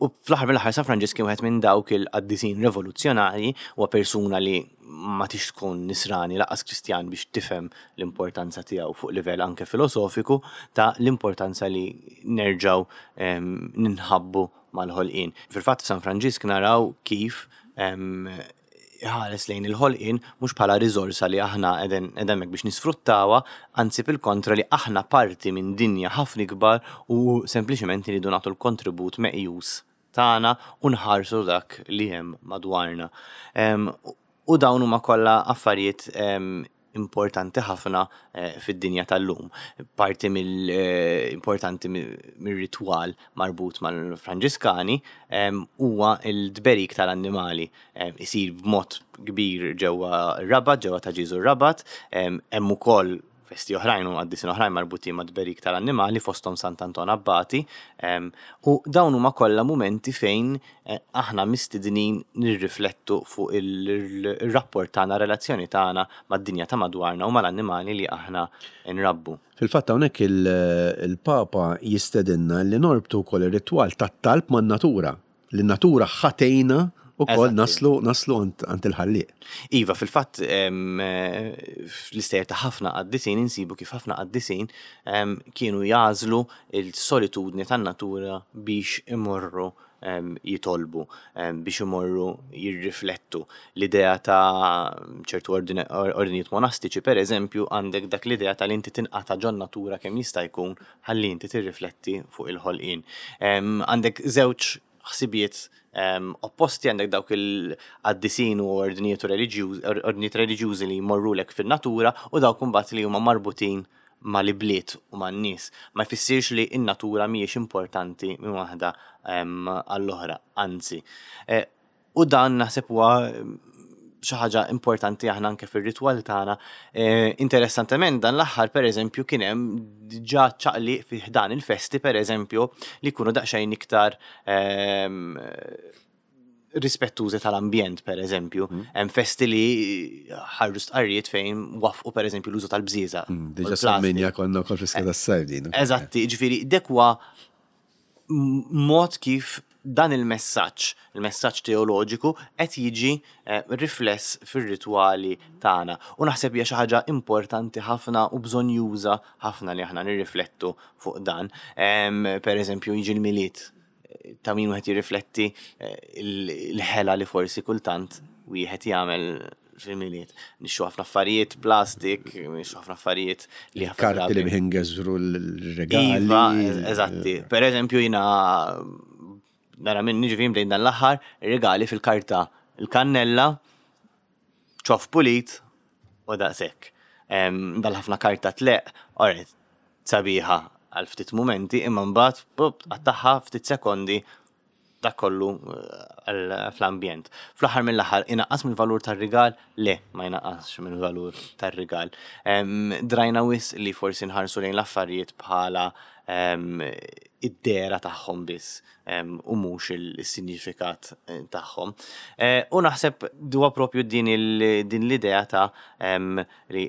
U fl-aħħar mill-aħħar San Franġisk kien wieħed minn dawk il-qaddisin revoluzzjonarji, huwa persuna li ma tix tkun nisrani laqas Kristjan biex tifhem l-importanza tiegħu fuq livell anke filosofiku ta' l-importanza li nerġgħu ninħabbu mal-ħolqien. Fil-fatt f'San Franġisk naraw kif ħares lejn il-ħolqien mhux bħala riżorsa li aħna qegħdin hemmhekk biex nisfruttawha, anzi bil-kontra li aħna parti minn dinja ħafna ikbar u sempliċement iridu nagħtu l-kontribut meqjus tagħna u nħarsu dak li hemm madwarna. U dawn huma kollha affarijiet importanti ħafna fid-dinja tal-lum. Parti mill-importanti mir-ritwal marbut mal-Franġiskani huwa l-tberik tal-annimali. Isir b'mod kbir ġewwa r-Rabat, ġewwa ta' Ġieżu r-Rabat, hemm ukoll festi oħrajn u qaddisin oħrajn marbutin ma' tberik tal-annimali fosthom Sant'Anton Abbati, u dawn huma kollha mumenti fejn aħna mistednin nirriflettu fuq il-rapport tagħna, relazzjoni tagħna mad-dinja ta' madwarna u mal-annimali li aħna nrabbu. Fil-fatt hawnhekk il-Papa jistedinna li norbtu wkoll ir-ritwal tat-talb man-natura, li n-natura ħatejna u kol naslu, naslu għand il-ħallieq. Iva, fil-fatt, fl-istejjer ta' ħafna qaddisin insibu kif ħafna qaddisin kienu jażlu il-solitudni tan-natura biex imorru jitolbu, biex imorru jirriflettu. L-idea ta' ċertu ordinijiet monastiċi, per eżempju, għandek dak l-idea ta' li inti tinqata' ġon natura kemm jista' jkun ħalli inti tirrifletti fuq il-ħolqien. Għandek żewġ ħsibijiet opposti, għandek dawk il-qaddisin u ordinijiet ordinijiet reliġjużi li jmorrulek fin-natura u dawk imbagħad li huma marbutin mal-ibliet u man-nies. Ma jfissirx li n-natura mhijiex importanti minn waħda għall-oħra, anzi. U dan naħseb huwa xi ħaġa importanti aħna anke fir-ritwal tagħna. Interessantement dan l-aħħar pereżempju kien hemm diġà ċaqliq fi ħdan il-festi pereżempju li jkunu daqsxejn iktar rispettużi tal-ambjent, per eżempju. Hemm festi li ħarġu stqarrijiet fejn wafqu per eżempju l-użu tal-bżieża. Diġà semmejna konna wkoll fl-iskeda tas-sajf din. Eżatti, ġifieri dek huwa mod kif dan il-messaġġ, il-messaġġ teoloġiku qed jiġi rifless fir-ritwali tagħna. U naħseb hija xi ħaġa importanti ħafna u bżonjuża ħafna li aħna nirriflettu fuq dan. Per eżempju jiġi l-Milied, ta' min wieħed jirrifletti l-ħela li forsi kultant wieħed jagħmel fil-Milied. Nixxu ħafna affarijiet plastik, nixxu ħafna affarijiet li ħafna Karti li biħingeżru l-regali. Iva, eżatti. Per eżempju jiena nara minn niġi bdejn dan l-aħħar regali fil-karta il-kannella, ċoff pulit u daqshekk. Dal-ħafna karta tleq, alright, sabiħa għal ftit momenti, imma mbagħad pup tqattagħha ftit sekondi dak kollu fl-ambjent. Fl-aħħar mill-aħħar inaqqas mill-valur tar-rigal? Le, ma jnaqqasx mill-valur tar-rigal. Drajna wis li forsi nħarsu lejn l-affarijiet bħala id-dera tagħhom biss u mhux il-sinifikat tagħhom. U naħseb huwa propju din l-idea ta' li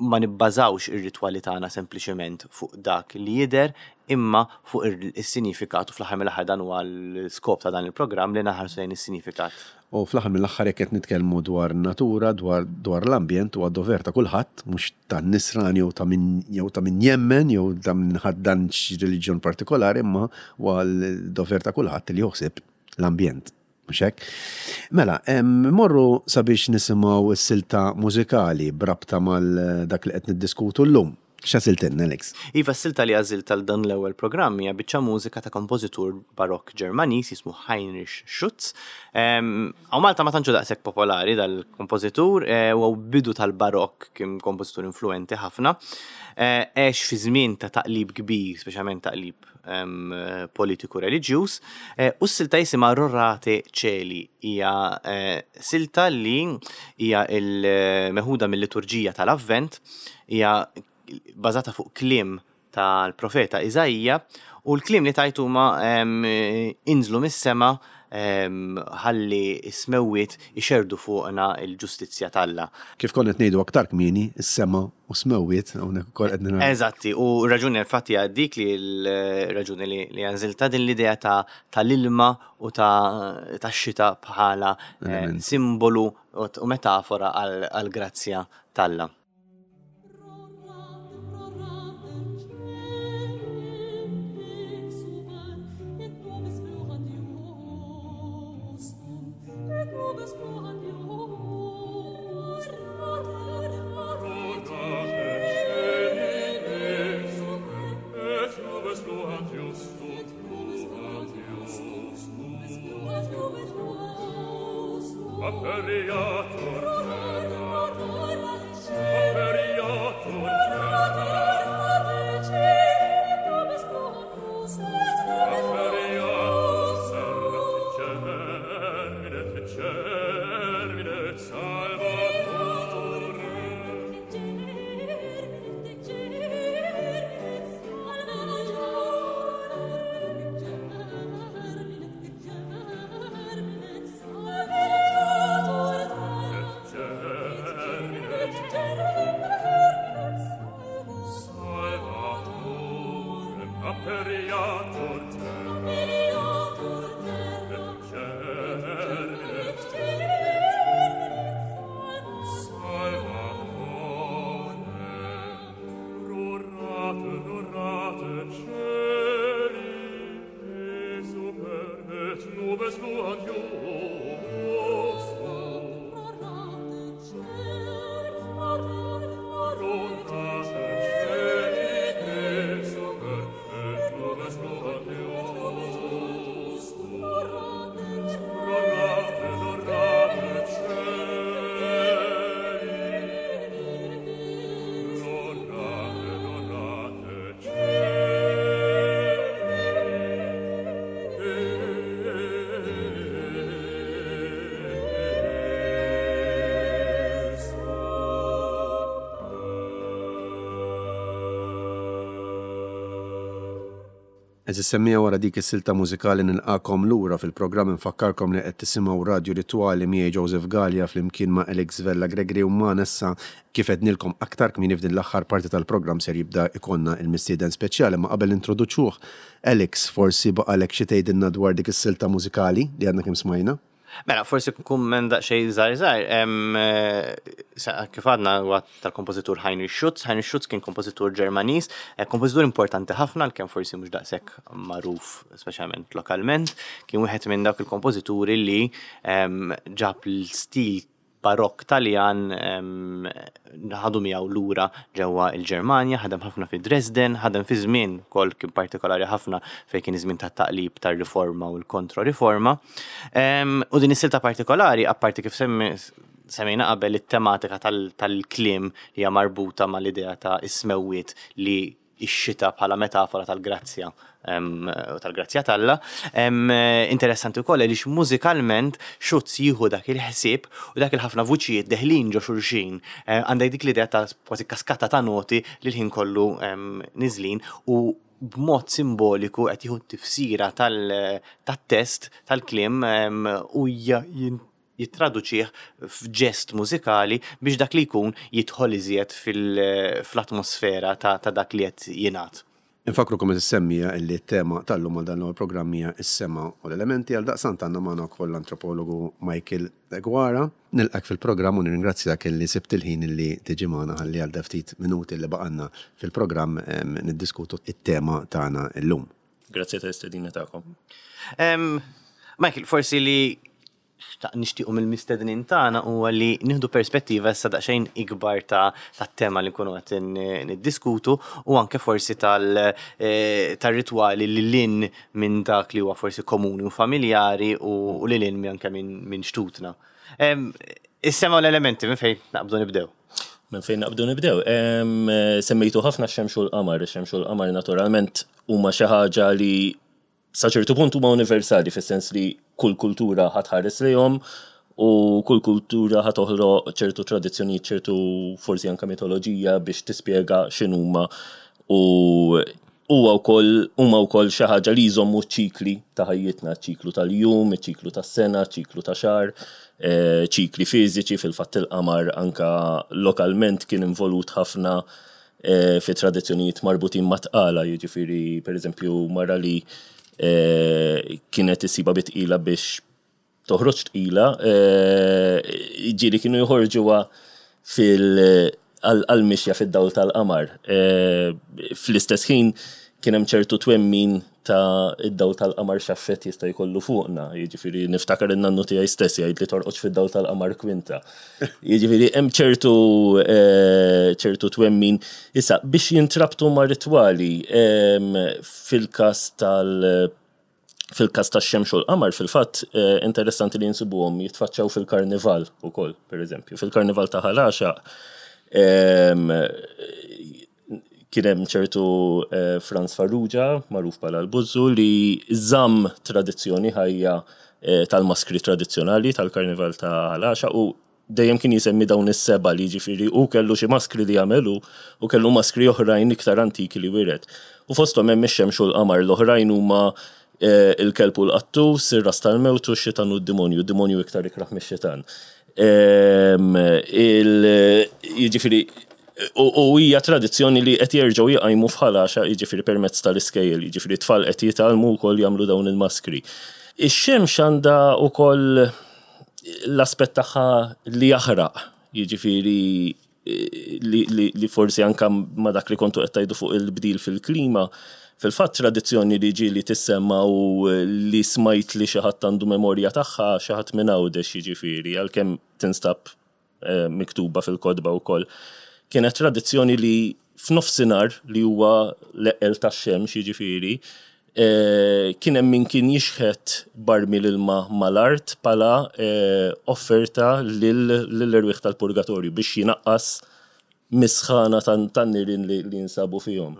ma nibbażawx ir-ritwali tagħna sempliċement fuq dak li jidher imma fuq is-sinifikat, u fl-aħħar mill-aħħar dan huwa l-iskop ta' dan il-programm li naħarsu lejn is-sinifikat. U fl-aħħar mill-aħħar jekk qed nitkellmu dwar natura, dwar dwar l-ambjent huwa dover ta' kulħadd, mhux ta' nisrani jew ta' min jew ta' min jemmen jew ta' min ħaddan xi reliġjon partikolari, imma huwa l-dover ta' kulħadd li joħseb l-ambjent. Mhux hekk? Mela, morru sabiex nisimgħu s-silta mużikali b'rabta mal dak li qed niddiskutu llum. X'għażiltilna, Alex? Iva, s-silta li għażilt għal dan l-ewwel programm hija biċċa mużika ta' kompożitur barokk Ġermaniż jismu Heinrich Schütz. Hawn Malta ma tantx daqshekk popolari dal-kompożitur, huwa bidu tal-barokk, kien kompożitur influenti ħafna. Għex fi żmien ta' taqlib kbir, speċjalment taqlib politiku reliġjuż, u s-silta jisimha Rorate Caeli, hija silta li hija l-meħuda mill-liturġija tal-Avvent, hija bażata fuq kliem tal-profeta Iżaija, u l-kliem li tajtu huma inżlu mis-sema ħalli s-smewwiet ixerdu fuqna l-ġustizzja t'Alla. Kif konna qed ngħidu aktar kmieni, is-sema u smewwiet hawnhekk ukoll qed naraw. Eżatti, u raġuni infatti hija dik li l-raġuni li għażilta din l-idea tal-ilma u tax-xita bħala simbolu u metafora għall-grazzja t'Alla. Rorate, rorate, cieli, e super et Għeżież semmiegħa, wara dik is-silta mużikali nilqagħkom lura fil-programm. Infakkarkom li qed tisimgħu Radju Ritwali miegħi, Joseph Gallia, flimkien ma' Alex Vella Gregory u ma' Nessa. Kif għednilkom aktar kmieni, f'din l-aħħar parti tal-programm ser jibda jkollna il-mistieden speċjali, ma qabel introduċuh, Alex, forsi baqalek xi tgħidilna dwar dik is-silta mużikali li għadna kemm smajna? Mela, forsi kumment daqsxejn żgħir żgħir, eh, kif għadna, huwa tal-kompożitur Heinrich Schütz. Heinrich Schütz kien kompożitur Ġermaniż, eh, kompożitur importanti ħafna, għalkemm forsi mhux daqshekk magħruf, speċjalment lokalment. Kien wieħed minn dawk il-kompożituri li em, ġab l-stil barokk Taljan, em, ħadu miegħu lura ġewwa il-Ġermanja, ħadem ħafna fi Dresden, ħadem fi żmien kol kien partikolari ħafna fejn kien iż-żmien tat-taqlib tar-riforma u l-kontro-riforma. Em, U din is-silta partikolari, apparti kif semmi semmejna qabel it-tematika tal- tal-kliem li hija marbuta mal-idea ta' is-smewwiet, li ix-xita bħala metafora tal-grazzja em, u tal-grazzja t'Alla. Em, Interessanti wkoll għaliex mużikalment Schütz jieħu dak il-ħsieb u dak il-ħafna vuċijiet deħlin ġo xulxin. Eh, Għandek dik l-idea ta' kważi kaskata ta' noti li l-ħin kollu em, niżlin u b'mod simboliku qed jieħu tifsira tal- tat-test tal-kliem em, u ja- jin- jittraduċih f'ġest mużikali biex dak li jkun jidħol iżjed fil- fl-atmosfera ta', ta' dak li qed jingħad. Infakkrukom is-semmiegħa illi t-tema tal-lum għal dan il programm hija s-sema u l-elementi. Għal daqstant għandna magħna wkoll l-antropologu Michael Deguara. Nilqgħek fil-programm u nirringrazzjak illi sibt il-ħin illi tiġi magħna ħalli għal ftit minuti li baqgħalna fil-programm em, niddiskutu it-tema tagħna illum. Grazzi tal-istedina tagħkom. Em, Michael, forsi li xtaq nixtiequ mill-mistednin tagħna huwa li nieħdu perspettiva issa daqsxejn ikbar ta' tat-tema li nkunu qed niddiskutu u anke forsi tal eh, tar-ritwali li lil hinn minn dak li huwa forsi komuni u familjari u u li lil hinn anke minn minn xtutna. Em, Is-sema u l-elementi, minn fejn naqbdu nibdew? Minn fejn naqbdu nibdew? Em, Semmejtu ħafna x-xemx u l-qamar. Ix-xemx u l-qamar naturalment huma xi ħaġa li sa ċertu punt huma universali, fis-sens li kull kultura ħa tħares lejhom u kull kultura ħa toħloq ċertu tradizzjonijiet, ċertu forsi anka mitoloġija biex tispjega x'inhuma, u huwa wkoll huma wkoll xi ħaġa li jżommu ċikli ta' ħajjitna, ċiklu tal-jum, ċiklu tas-sena, ċiklu ta' xahar, eh, ċikli fiżiċi. Fil-fatt il-qamar anka lokalment kien involut ħafna eh, fi tradizzjonijiet marbutin ma' tqala, jiġifieri, pereżempju, mara li eh, kienet issibha bi tqila biex toħroġ tqila, eh, ġieli kienu joħorġuha fil- għal-mixja fid-dawl tal-qamar. Eh, Fl-istess ħin kien hemm ċertu twemmin ta' id-dawl tal-qamar x'effett jista' jkollu fuqna. Jiġifieri niftakar in-nannu tiegħi stess jgħid li torqodx fid-dawl tal-qamar kwinta. Jiġifieri hemm ċertu eh, ċertu twemmin. Issa, biex jintrabtu ma' ritwali, em, fil-każ tal- fil-każ tax-xemx u l-qamar, fil-fatt, eh, interessanti li nsibuhom jitfaċċaw fil-karnival ukoll, per eżempju. Fil-karnival ta' Ħal Għaxaq, em, kien hemm ċertu eh, Franz Farrugia, magħruf bħala l-Buzzu, li żamm tradizzjoni ħajja eh, tal-maskri tradizzjonali tal-karnival ta' Ħal Għaxaq u dejjem kien jisemmi dawn is-seba, li ġifieri u kellu xi maskri li jagħmelu u kellu maskri oħrajn iktar antiki li wiret. U fosthom hemm ix-xemx u l-qamar, l-oħrajn huma eh, il-kelb u l-qattus, ir-ras tal-mewt u x-xitan u d-demonju, d-demonju iktar ikraħ mix-xitan. Em, il- Jiġifieri u u hija tradizzjoni li qed jerġgħu jqajmu f'Ħal Għaxaq, jiġifieri permezz tal-iskejjel, jiġifieri tfal qed jitgħallmu wkoll jagħmlu dawn il-maskri. Ix-xemx għandha wkoll l-aspett tagħha li jaħraq, jiġifieri li, li, li forsi anka ma dak li kontu qed tgħidu fuq il-bdil fil-klima, fil-fatt tradizzjoni li ġieli tissemma u li smajt li xi ħadd għandu memorja tagħha, xi ħadd minn Għawdex, jiġifieri, għalkemm tinstab eh, miktuba fil-kotba wkoll. Kienet tradizzjoni li f'nofsinhar, li huwa l-eqqel tax-xemx, jiġifieri, eh, kien hemm min kien jixħet barmil ilma mal-art bħala eh, offerta lill-erwieħ tal-purgatorju biex jinaqqas mis-sħana tan-nirien li li jinsabu fihom.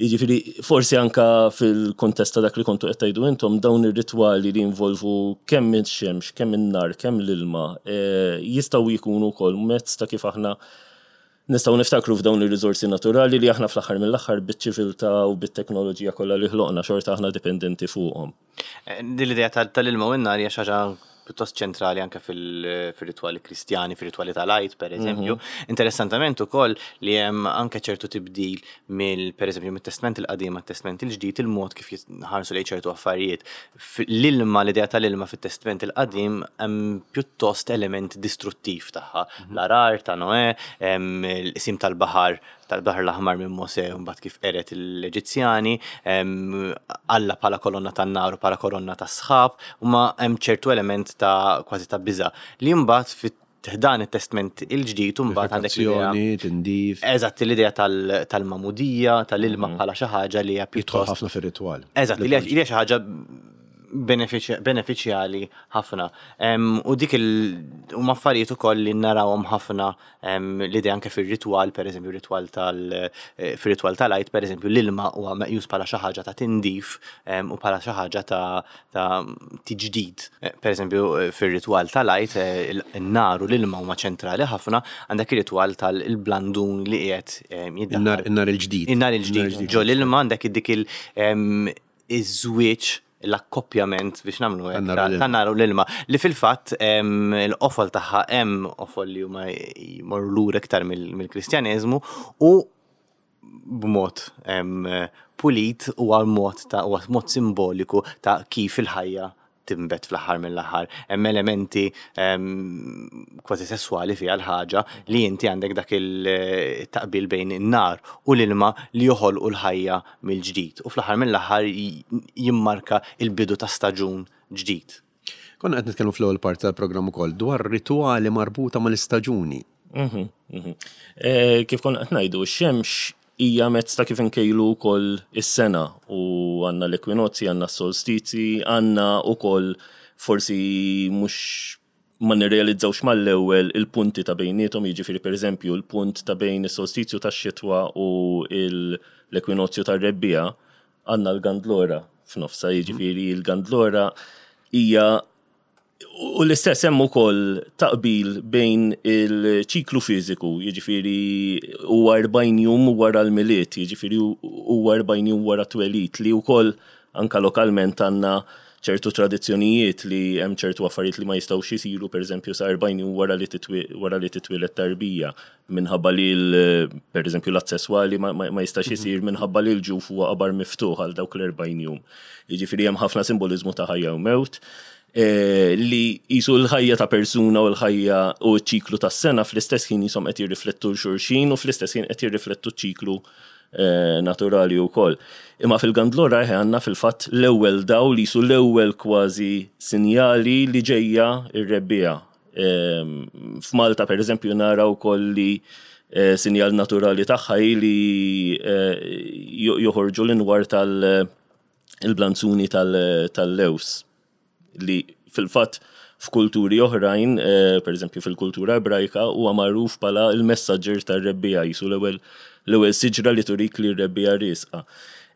Jiġifieri, forsi anka fil-kontest ta' dak li kontu qed tgħidu intom, dawn ir-ritwali li jinvolvu kemm ix-xemx, kemm in-nar, kemm l-ilma, eh, jistgħu jkunu wkoll mezz ta' kif aħna Nistgħu niftakru f'dawn ir-riżorsi naturali li aħna fl-aħħar mill-aħħar, biċ-ċiviltà u bit-teknoloġija kollha li ħloqna, xorta aħna dipendenti fuqhom. Eh, din l-idea tal-ilma u n-nar hija xi ħaġa pjuttost ċentrali anke fil-ritwali Kristjani, fil-ritwali tal-Għid, per eżempju. Mhm. Interessantament ukoll li hemm anke ċertu tibdil mill, per eżempju, mit-Testament il-Qadim għat-Testament il-Ġdid, il-mod kif jitħarsu lejn ċertu affarijiet. L-ilma, l-idea tal-ilma fit-Testament il-Qadim hemm pjuttost element distruttiv tagħha. Mhm. L-għargħar ta' Noè, il-qsim tal-baħar tal-Baħar l-Aħmar minn Mosè u mbagħad kif qered l-Eġizzjani, Alla bħala kolonna tan-nar u bħala kolonna tas-sħab, u ma hemm ċertu element ta' kważi ta' biża' li mbagħad fit dan it-Testament il-Ġdid u mbagħad għandek l-idea. Tindif. Eżatt, l-idea tal-magħmudija, tal-ilma mhm. bħala xi ħaġa li hija pjuttost ħafna fir-ritwal. Eżatt, li hija xi ħaġa benefiċjali ħafna. U dik il huma affarijiet ukoll li narawhom ħafna, l-idea anke fir-ritwal, pereżempju ritwal tal eh, fir-ritwal tal-Għid, pereżempju, l-ilma huwa meqjus bħala xi ħaġa ta' tindif u bħala xi ħaġa ta' ta' tiġdid. Eh, pereżempju eh, fir-ritwal tal-Għid in-nar u l-ilma huma ċentrali ħafna, għandek ir-ritwal tal-blandun li qiegħed jiddaħħal. In-nar il-ġdid. In-nar il-ġdid. Ġo l-ilma għandek dik il iż-żwieġ, l-akkoppjament biex nagħmlu hekk tan-nar u l-ilma, li fil-fatt l-qofol tagħha, hemm qofol li huma jmorru lura iktar mill-Kristjaneżmu u b'mod pulit u għal mod ta' u mod simboliku ta' kif il-ħajja tinbet fl-aħħar mill-aħħar. Hemm elementi kważi sesswali fiha l-ħaġa li inti għandek dak il-taqbil bejn in-nar u l-ilma li joħolqu l-ħajja mill-ġdid u fl-aħħar mill-aħħar jimmarka il-bidu ta' staġun ġdid. Konna qed nitkellmu fl-ewwel parti tal-programm ukoll dwar rituali marbuta mal-istaġuni. Mhm, mhm. Eh, kif konna qed ngħidu, x-xemx hija mezz ta' kif inkejlu wkoll is-sena u għandna l-ekwinozzi, għandna s-solstizi, għandna wkoll, forsi mhux ma nirrealizzawx mal-ewwel, il-punti ta' bejniethom, jiġifieri pereżempju l-punt ta' bejn is-solstizju tax-xitwa u l-ekwinozju tar-rebbiegħa għandna l-Gandlora f'nofsa, jiġifieri l-Gandlora hija. U l-istess hemm ukoll taqbil bejn il-ċiklu fiżiku, jiġifieri huwa erbgħin jum wara l-Milied, jiġifieri huwa erbgħin jum wara twelid, li wkoll anka lokalment għandna ċertu tradizzjonijiet li hemm ċertu affarijiet li ma jistgħux isiru, pereżempju, sa erbgħin jum wara li wara li titwieled tarbija, minħabba li pereżempju l-att sesswali ma, ma, ma jistax isir minħabba li l-ġuf huwa qabar miftuħ għal dawk l-erbgħin jum. Jiġifieri hemm ħafna simboliżmu ta' ħajja u mewt eh, li jisu l-ħajja ta' persuna u l-ħajja u ċ-ċiklu tas sena fl-istess ħin jisom qed jirriflettu xulxin u fl-istess ħin qed jirriflettu ċ-ċiklu eh, naturali wkoll. Imma fil-Gandlora għandna fil-fatt l-ewwel daw li jisu l-ewwel kważi sinjali li ġejja ir-rebbiegħa. Ehm, F'Malta, per eżempju, nara wkoll li eh, sinjal naturali tagħha hi li joħorġu l-inwar tal-blanzuni tal-lews, li fil-fatt f'kulturi oħrajn, eh, per eżempju fil-kultura Ebrajka, huwa magħruf bħala il-messaġġer tar-rebbiegħa, jisu l-ewwel l-ewwel siġra li turik li r-rebbiegħa riesqa.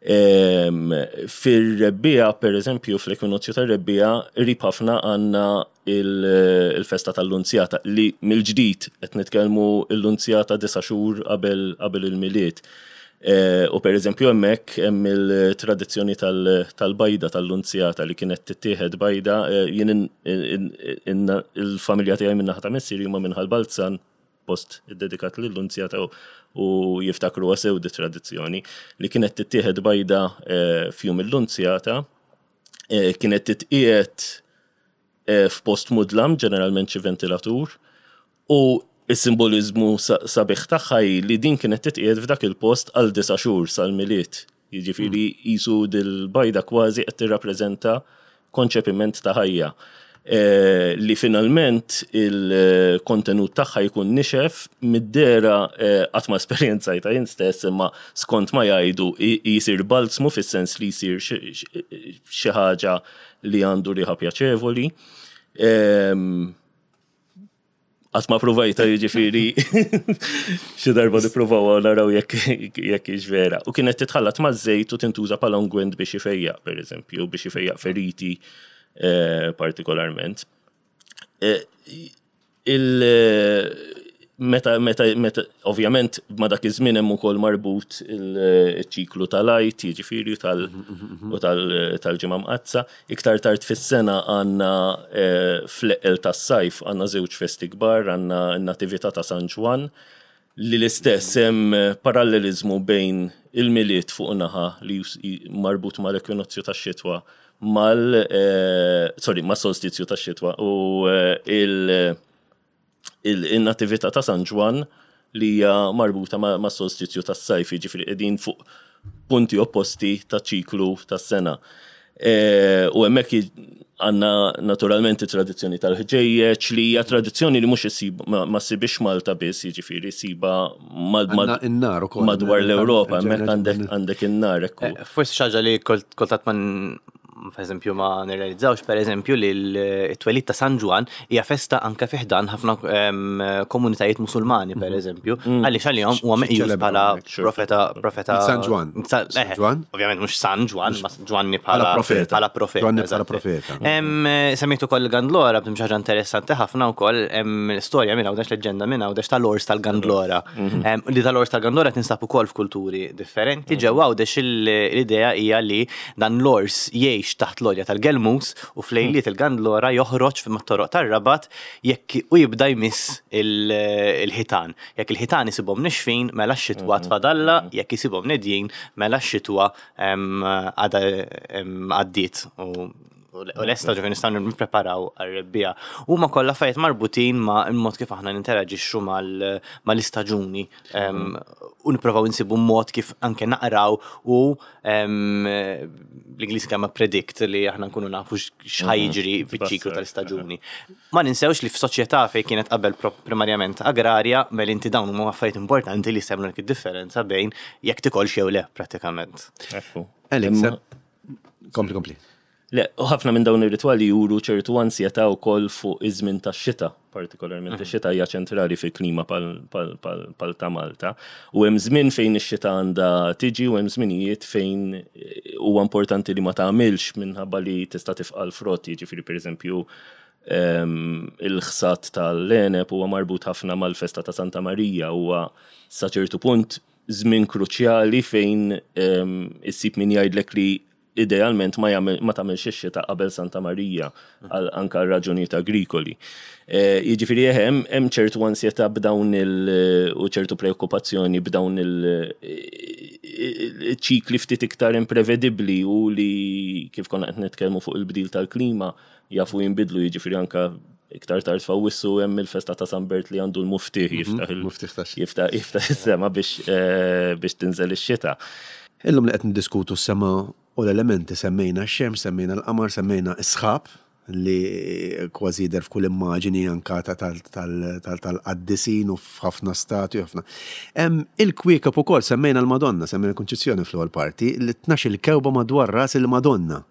Ehm, fir-rebbiegħa, per eżempju, fl-ekwinozju tar-rebbiegħa, qrib ħafna għandna il-festa tal-Lunzjata, li mill-ġdid qed nitkellmu l-Lunzjata disa' xhur qabel qabel il-Milied. Eh, u per eżempju hemmhekk hemm il-tradizzjoni tal-bajda tal-Lunzjata li kienet tittieħed bajda, eh, jien il-familja tiegħi minn naħa ta' missieri huma minn Ħal Balzan, post iddedikat lill-Lunzjata, u jiftakru sew di tradizzjoni li kienet tittieħed bajda eh, f'jum il-Lunzjata, kienet titqiegħed f'post mudlam, ġeneralment xi ventilatur, u is-simbolizmu sabiħ tagħha hi li din kienet titqiegħed f'dak il-post għal disa' xhur sal-Milied. Jiġifieri qisu dil-bajda kważi qed tirrappreżenta konċepiment ta' ħajja. Eh, li finalment il-kontenut tagħha jkun nixef mid-dera, eh, qatt ma esperjenzajta jien stess, imma skont ma jgħidu jisir balzmu, fis-sens li jsir xi ħaġa li għandu riħa pjaċevoli. Ehm, Qatt ma provajta, jiġifieri xi darba nippruvaw naraw jekk jekk hix vera. U kienet titħallat ma' żejt u tintuża bħala ungwent biex ifejjaq, pereżempju, biex ifejjaq feriti eh, partikolarment. Eh, meta, meta, meta, ovvjament, ma dak iż-żmien hemm ukoll marbut il-ċiklu tal-Għid, jiġifieri tal- u tal- tal-Ġimgħa Mqaddsa. Iktar tard fis-sena għandna eh, fl-eqqel tas-sajf għandna żewġ festi kbar, għandna n-Natività ta' San Ġwann, li l-istess hemm parallelizmu bejn il-Milied fuq naħa li jus- marbut mal-ekwinozzju tax-xitwa mal eh, sorry, ma' solstizju tax-xitwa u eh, il- il-Natività ta' San Ġwann li hija marbuta ma' ma' solstizju tas-sajf, jiġifieri qegħdin fuq punti opposti ta' ċiklu tas-sena. E, u hemmhekk għandna naturalment it-tradizzjoni tal-ħġejjeġ li hija tradizzjoni li mhux issib ma, ma ssibix Malta biss, jiġifieri ssiba mad, mad, Għandna in-nar ukoll. madwar l-Ewropa, hemmhekk Ġenna- għandek għandek in-nar ekku. Eh, Forsi xi ħaġa li kol- kultant ma n- per eżempju ma nirrealizzawx, per eżempju, li l-twelid ta' San Ġwann hija festa anke fi ħdan ħafna em, komunitajiet musulmani, per eżempju, għaliex għalihom huwa meqjus Ċelebraw bħala hekk, profeta profeta San Ġwann. Sa- San eh, Ġwann? Ovvjament mhux San Ġwann, ma Ġwanni bħala Bħala profeta. Bħala profeta. Ġwanni bħala eżatt. profeta. Em, Semmejtu ukoll il-Gandlora, b'dim xi ħaġa interessanti ħafna wkoll, hemm storja minn hawnhekk, leġġenda minn hawnhekk tal-ors tal-Gandlora. Em, Li tal-ors tal-Gandlora tinsab ukoll f'kulturi differenti. Ġewwa Għawdex l-idea hija li dan l-ors jgħix taħt l-għolja tal-Gelmus u flejliet il-Gandlora joħroġ mat-toroq tar-Rabat jekk u jibda jmiss il- il-ħitan. Jekk il-ħitan isibhom nixfin, mela x-xitwa tfadalla, jekk isibhom nedjin, mela x-xitwa em, għada em, għaddiet u u lesta ġifieri nistgħu nippreparaw għar-rebbiegħa. Huma kollha affarijiet marbutin ma' il-mod kif aħna ninteraġixxu mal- mal-istaġuni em, u nipprovaw insibu mod kif anke naqraw u em, bl-Ingliż kemm predict li aħna nkunu nafu x'ħa jiġri fiċ-ċiklu tal-istaġuni. Ma ninsewx li f'soċjetà fejn kienet qabel pro- primarjament agrarja, mela inti dawn huma affarijiet importanti li jsemlu id-differenza bejn jekk tikolx jew le prattikament. Ekku. Alex, Imma- kompli, kompli. Le, u ħafna minn dawn ir-ritwali juru ċertu ansjetà wkoll fuq iż-żmien tax-xita, partikolarment ix-xita hija ċentrali fil-klima pal, pal, pal, pal ta' Malta. U hemm żmien fejn ix-xita għandha tiġi u hemm żminijiet fejn eh, huwa importanti li ma tagħmilx minħabba li tista' tifqa' l-frott, jiġifieri pereżempju em, il-ħsat tal-għeneb huwa marbut ħafna mal-festa ta' Santa Marija, huwa sa ċertu punt żmien kruċjali fejn em, issib min jgħidlek li idealment ma jagħmel ma tagħmilx ix-xita qabel Santa Marija għal anka għal raġunijiet agrikoli. Eh, Jiġifieri hemm hemm ċertu ansjetà b'dawn il u ċertu preokkupazzjoni b'dawn il ċikli ftit iktar imprevedibbli u li kif konna qed nitkellmu fuq il-bdil tal-klima jafu jinbidlu, jiġifieri anka iktar tard f'Awwissu hemm il-festa ta' San Bert li għandu l-muftieħ jiftaħ il- Muftieħ tax- jiftaħ jiftaħ is-sema biex eh, biex tinżel ix-xita. Illum li qed niddiskutu s-sema u l-elementi, semmejna x-xemx, semmejna l-qamar, semmejna s-sħab li kważi jidher f'kull immaġini anka ta' tal- tal- tal- tal-qaddisin u f'ħafna statwi ħafna. Hemm il-kwiekeb ukoll, semmejna l-Madonna, semmejna l-Kunċizzjoni fl-ewwel parti, li tnax il-kewba madwar ras il-Madonna.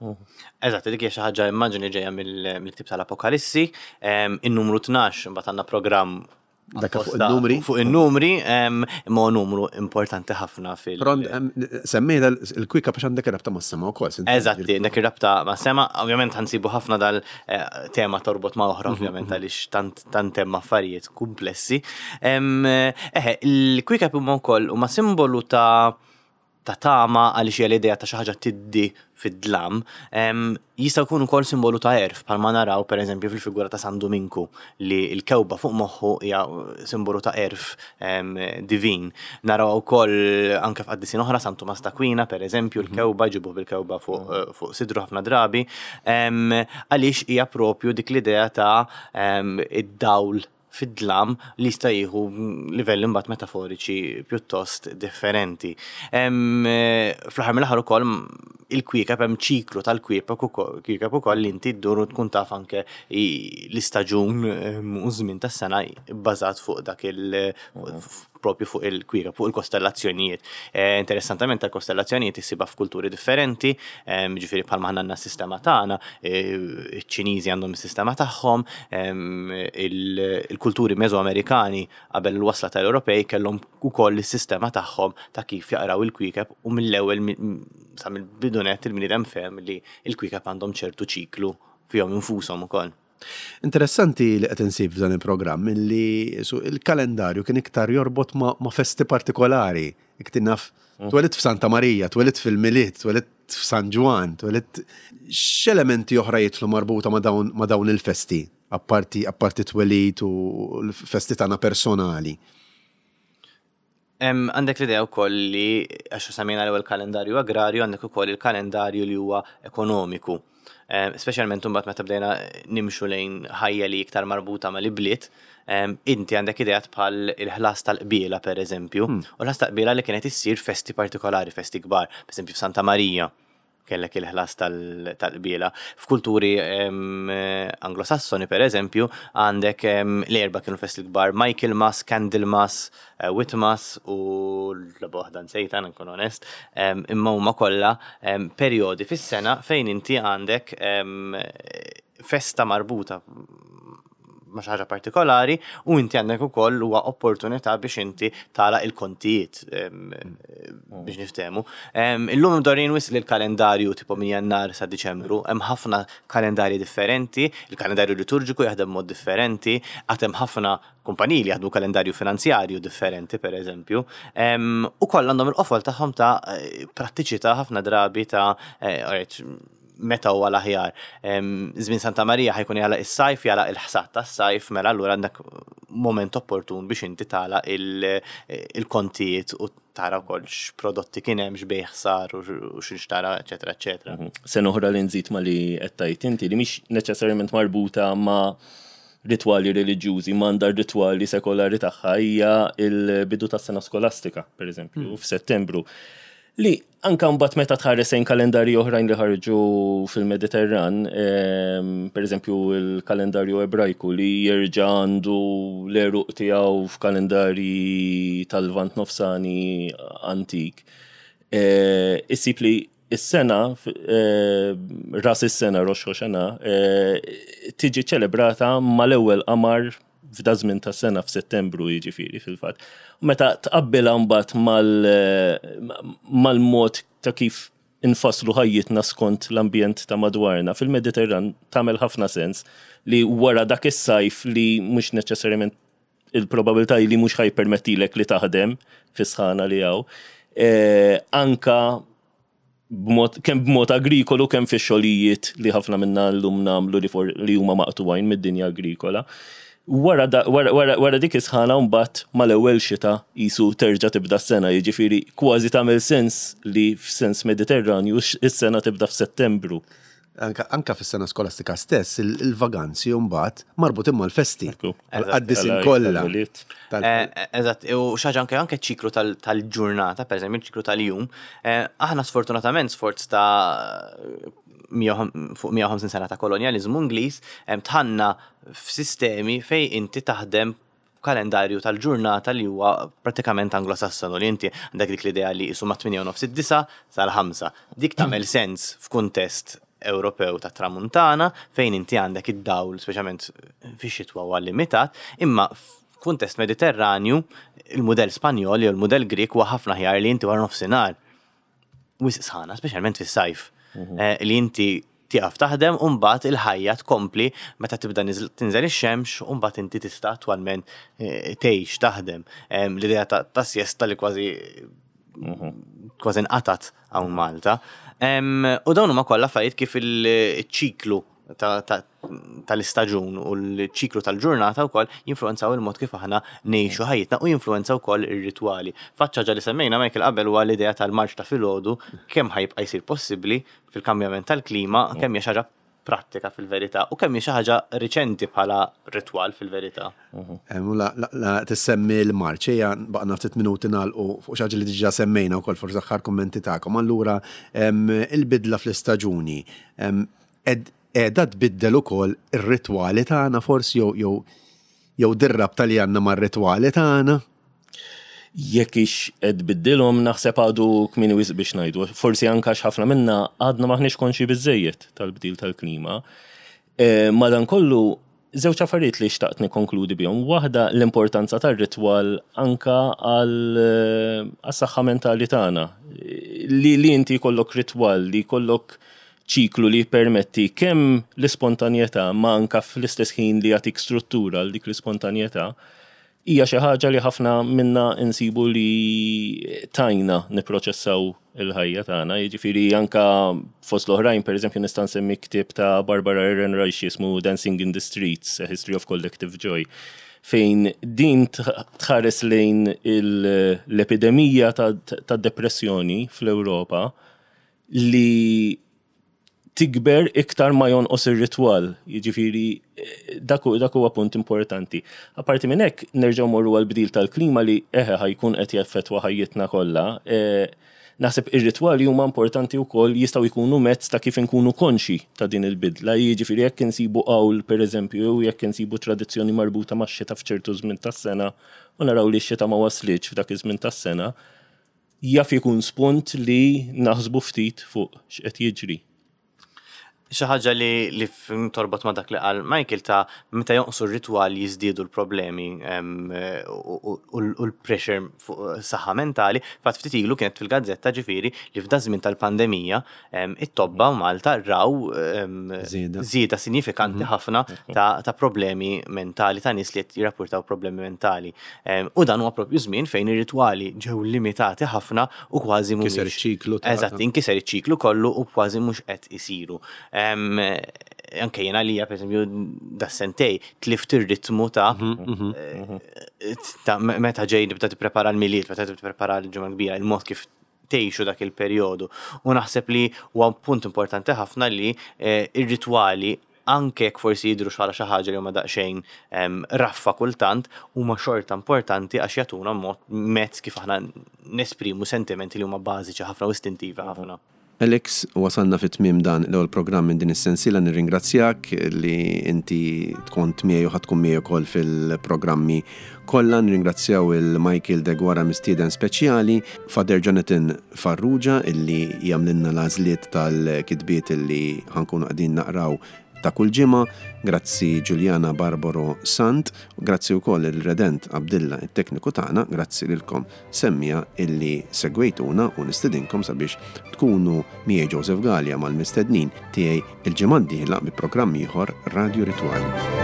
Eżatt, dik hija xi ħaġa immaġini ġejja mill- mill-ktib tal-Apokalissi, em, in-numru tnax, imbagħad għandna programm Dak fuq apposta in-numri? Fuq in-numri, em, imma huwa numru importanti ħafna fil- Però em, semmejna il-kwiekeb għax għandek rabta mas-sema wkoll. Eżatti, dak ir-rabta ma' sema, ovvjament ħa nsibu ħafna dal-tema torbot ma' oħra, ovvjament, għaliex tant tant hemm affarijiet komplessi. Em, Eħe, il-kwiekeb huma wkoll huma simbolu ta' ta' tama għaliex hija l-idea ta' xi ħaġa tiddi fid-dlam, em, jista' jkun ukoll simbolu ta' għerf, bħalma naraw pereżempju fil-figura ta' San Duminku li l-kewba fuq moħħu hija simbolu ta' għerf em, divin. Naraw ukoll anke f'qaddisin oħra, San Tumas t'Aquina pereżempju, l-kewba ġibu bil-kewba fuq fuq sidru ħafna drabi, em, għaliex hija propju dik l-idea ta' em, id-dawl fid-dlam li jista' jieħu livelli mbagħad metaforiċi pjuttost differenti. Em, eh, Fl-aħħar mill-aħħar ukoll il-kwiekeb, hemm ċiklu tal-kwiekeb ukoll kwiekeb ukoll li inti ddur u tkun taf anke i- l-istaġun em, u żmien tas-sena bbażat fuq dak il propju fuq il-kwiekeb, fuq il-kostellazzjonijiet. Eh, Interessantament tal-kostellazzjonijiet issibha f'kulturi differenti, em, ġifieri bħalma aħna għandna s-sistema tagħna, eh, iċ-Ċiniżi għandhom is-sistema tagħhom, em, il- il-kulturi Mesoamerikani qabel il-wasla tal-Ewropej kellhom ukoll is-sistema tagħhom ta' kif jaqraw il-kwiekeb u mill-ewwel mi- sa mill-bidunet il-bniedem fehem li il-kwiekeb għandhom ċertu ċiklu fihom infushom ukoll. Interessanti li qed insib f'dan il-programm li il-kalendarju kien iktar jorbot ma, ma festi partikolari. Iktar naf, mm. twelidt f'Santa Marija, twelidt fil-Milied, twelidt f'San Ġwann, twelidt x'elementi oħra jidħlu marbuta ma' dawn, ma dawn il-festi, apparti, apparti twelid u l-festi tagħna personali? Għandek l-idea wkoll li, għax semmejna l-ewwel kalendarju agrarju, għandek ukoll il-kalendarju li huwa ekonomiku. Speċjalment imbagħad meta bdejna nimxu lejn ħajja li iktar marbuta mal-ibliet, inti għandek ideat bħal il-ħlas tal-qbiela per eżempju, hmm. u l-ħlas tal-qbiela li kienet issir festi partikolari, festi kbar, per eżempju f'Santa Marija kellek il-ħlas tal-qbiela. F'kulturi Anglosassoni, per eżempju, għandek l-erba kienu festi kbar: Michaelmas, Candlemas, eh, Whitmas u l-waħda nsejtha, nkun onest, imma huma kollha perjodi fis-sena fejn inti għandek festa marbuta ma' xi ħaġa partikolari u inti għandek ukoll huwa opportunità biex inti tagħlaq il-kontijiet, biex niftehmu. Illum imdorrijin wisq li l-kalendarju tipo minn Jannar sa Diċembru, hemm ħafna kalendarji differenti, il-kalendarju liturġiku jaħdem mod differenti, għad hemm ħafna kumpaniji li jaħdmu kalendarju finanzjarju differenti, per eżempju, u kollha għandhom il-qofol tagħhom ta' prattiċità ħafna drabi ta' eh, meta huwa l-aħjar. Żmien Santa Marija ħa jkun jagħlaq is-sajf, jagħlaq il-ħsad tas-sajf, mela allura għandek moment opportun biex inti tagħlaq il-kontijiet u tara wkoll x'prodotti kien hemm, x'bejgħ sar u x'inxtara, eċetera, eċetera. Mhm. Sena oħra li nżid ma li qed tgħid inti li mhix neċessarjament marbuta ma' ritwali reliġjużi, m'għandha ritwali sekolari tagħha, hija il-bidu tas-sena skolastika, per eżempju, mm. f'Settembru. Li anka mbagħad meta tħares lejn kalendarji oħrajn li ħarġu fil-Mediterran, ehm, per eżempju il-kalendarju Ebrajku li jerġa' għandu l-għeruq tiegħu f'kalendarji tal-Lvant Nofsani antik. Eh, issib li is-sena, eh, ras is-sena, Rosh Hashanah, eh, tiġi ċelebrata mal-ewwel qamar f'da żmien ta' sena, f'Settembru jiġifieri fil-fatt. Meta tqabbilha mbagħad mal-mod ta' kif infasslu ħajjitna skont l-ambjent ta' madwarna fil-Mediterran, tagħmel ħafna sens li wara dak is-sajf li mhux neċessarjament il-probabilità li mhux ħa jippermettilek li taħdem fis-sħana li hawn, eh, anka b'mod kemm b'mod agrikolu, kemm fi xogħlijiet li ħafna minna llum nagħmlu li, li huma maqtugħin mid-dinja agrikola. Wara, wara, wara, wara dik is-sħana mbagħad mal-ewwel xita qisu terġa' tibda s-sena, jiġifieri kważi tagħmel sens li f'sens Mediterranju is-sena tibda f'Settembru. Anka, anka fis-sena skolastika stess, il-vaganzi mbagħad marbutin mal-festi. Għad-disin kollha. Eh, eżatt, u xi ħaġa anke anke ċiklu tal-ġurnata, per eżempju, ċiklu tal-jum, eh, aħna sfortunatament sforz ta' fuq mija u ħamsin sena ta' kolonjalizmu Ingliż, dħalna f'sistemi fej inti taħdem kalendarju tal-ġurnata li huwa pratikament Anglosassonu, li inti għandek dik l-idea li jisu ma' tmienja u nofs, id-disgħa sal-ħamsa. Dik tagħmel sens f'kuntest Ewropew ta' tramuntana fejn inti għandek id-dawl, speċjalment fix-xitwa, huwa limitat, imma f'kuntest Mediterranju, il-mudell Spanjol jew il-mudell Grek huwa ħafna aħjar, li inti wara nofsinhar wisq sħana, speċjalment fis-sajf, mhm. eh, li inti tieqaf taħdem u mbagħad il-ħajja tkompli meta tibda tinżel ix-xemx u mbagħad inti tista' attwalment eh, tgħix taħdem. L-idea ta' siesta li kważi mhm. kważi nqatat hawn Malta. U dawn huma kollha affarijiet kif il-ċiklu tal-istaġun u l-ċiklu tal-ġurnata wkoll jinfluenzaw il-mod kif aħna ngħixu ħajjitna u jinfluenzaw ukoll ir-ritwali. Faċċa li semmejna, Michael, qabel huwa l-idea tal-marċ ta' filgħodu, kemm ħa jibqa' jsir possibbli fil-kambjament tal-klima, kemm hija xi ħaġa prattika fil-verità u kemm hi xi ħaġa riċenti bħala ritwal fil-verità. La, la, tissemmi l-marċ, ejja baqgħalna ftit minuti nagħlqu fuq xi ħaġa li diġà semmejna wkoll, forsi aħħar kummenti tagħkom. Allura il-bidla fl-istaġuni qiegħda tbiddel ukoll ir-ritwali tagħna forsi jew jew jew dir-rabta li għandna mar-ritwali tagħna? Jekk hix qed tbiddilhom, naħseb għadu kmieni wisq biex ngħidu. Forsi anke ħafna minna għadna maħniex konxi biżejjed tal-bdil tal-klima. E, madankollu, żewġ affarijiet li xtaqt nikkonkludi bihom. Waħda, l-importanza tar-ritwal anka għal saħħa mentali tagħna. Li, li inti jkollok ritwal, li jkollok Ċiklu li permetti kemm l-ispontanjetà ma anka fl-istess ħin li jagħtik struttura għal dik l-ispontanjetà, hija xi ħaġa li ħafna minna insibu li tgħinna nipproċessaw il-ħajja tagħna. Jiġifieri anka fost l-oħrajn, pereżempju, nista' nsemmi ktieb ta' Barbara Ehrenreich jismu Dancing in the Streets, A History of Collective Joy, fejn din tħares lejn l-epidemija ta' depressjoni fl-Ewropa li tikber iktar ma jonqos ir-ritwal. Jiġifieri dak huwa punt importanti. Apparti minn hekk, nerġgħu morru għal bdil tal-klima li eħe ħa jkun qed jaffettwa ħajjitna kollha. E, naħseb ir-ritwali huma importanti wkoll, jistgħu jkunu mezz ta' kif inkunu konxi ta' din il-bidla. Jiġifieri jekk insibu qawl, pereżempju, jekk insibu tradizzjoni marbuta max-xita f'ċertu żmien tas-sena u naraw li x-xita ma waslitx f'dak iż-żmien tas-sena, jaf ikun spunt li naħsbu ftit fuq x'qed jiġri. Xi ħaġa li li torbot ma' dak li qal Michael ta' meta jonqsu r-ritwal jiżdiedu l-problemi u l-pressure fuq saħħa mentali. Fatt, ftit ilu kienet fil-gazzetta, ġifieri, li f'da żmien tal-pandemija it-tobba Malta raw żieda sinifikanti mhm. ħafna ta' problemi mentali, ta' nies li qed jirrapportaw problemi mentali. U dan huwa propju żmien fejn ir-ritwali ġew limitati ħafna u kważi mhux. Kiser iċ-ċiklu. Eżatt, inkiser iċ-ċiklu kollu u kważi mhux qed isiru. Anke jena li, per esempio, da sentej tlift ir-ritmu ta' mhm, mhm, mhm. Eh, ta' meta ġej nibda tipprepara l-Milied, meta tipprepara l-Ġimgħa Kbira, il-mod kif tgħixu dak il-perjodu. U naħseb li huwa punt importanti ħafna li eh, ir-ritwali, anke jekk forsi jidru xi xi ħaġa li huma daqsxejn raffa kultant, huma xorta importanti għax jagħtuna mod, mezz kif aħna nesprimu sentimenti li huma bażiċi ħafna u istintivi ħafna. Alex, wasalna fit tmiem dan l-ewwel programm minn din is-sensiela. Nirringrazzjak li inti tkun miegħi u ħa tkun miegħi wkoll fil-programmi kollha. Nirringrazzjaw il-Michael Deguara, mistieden speċjali, Father Jonathan Farrugia illi jagħmlilna l-għażliet tal-kitbiet illi ħa nkunu qegħdin naqraw ta' kull ġimgħa, grazzi Giuliana Barbaro Sant, grazzi wkoll il-Redent Abdilla, it-tekniku tagħna, grazzi lilkom semmiegħa illi segwejtuna u nistedinkom sabiex tkunu miegħi, Joseph Gallia, mal-mistednin tiegħi il-ġimgħa d-dieħla bi programm ieħor Radio Ritwali.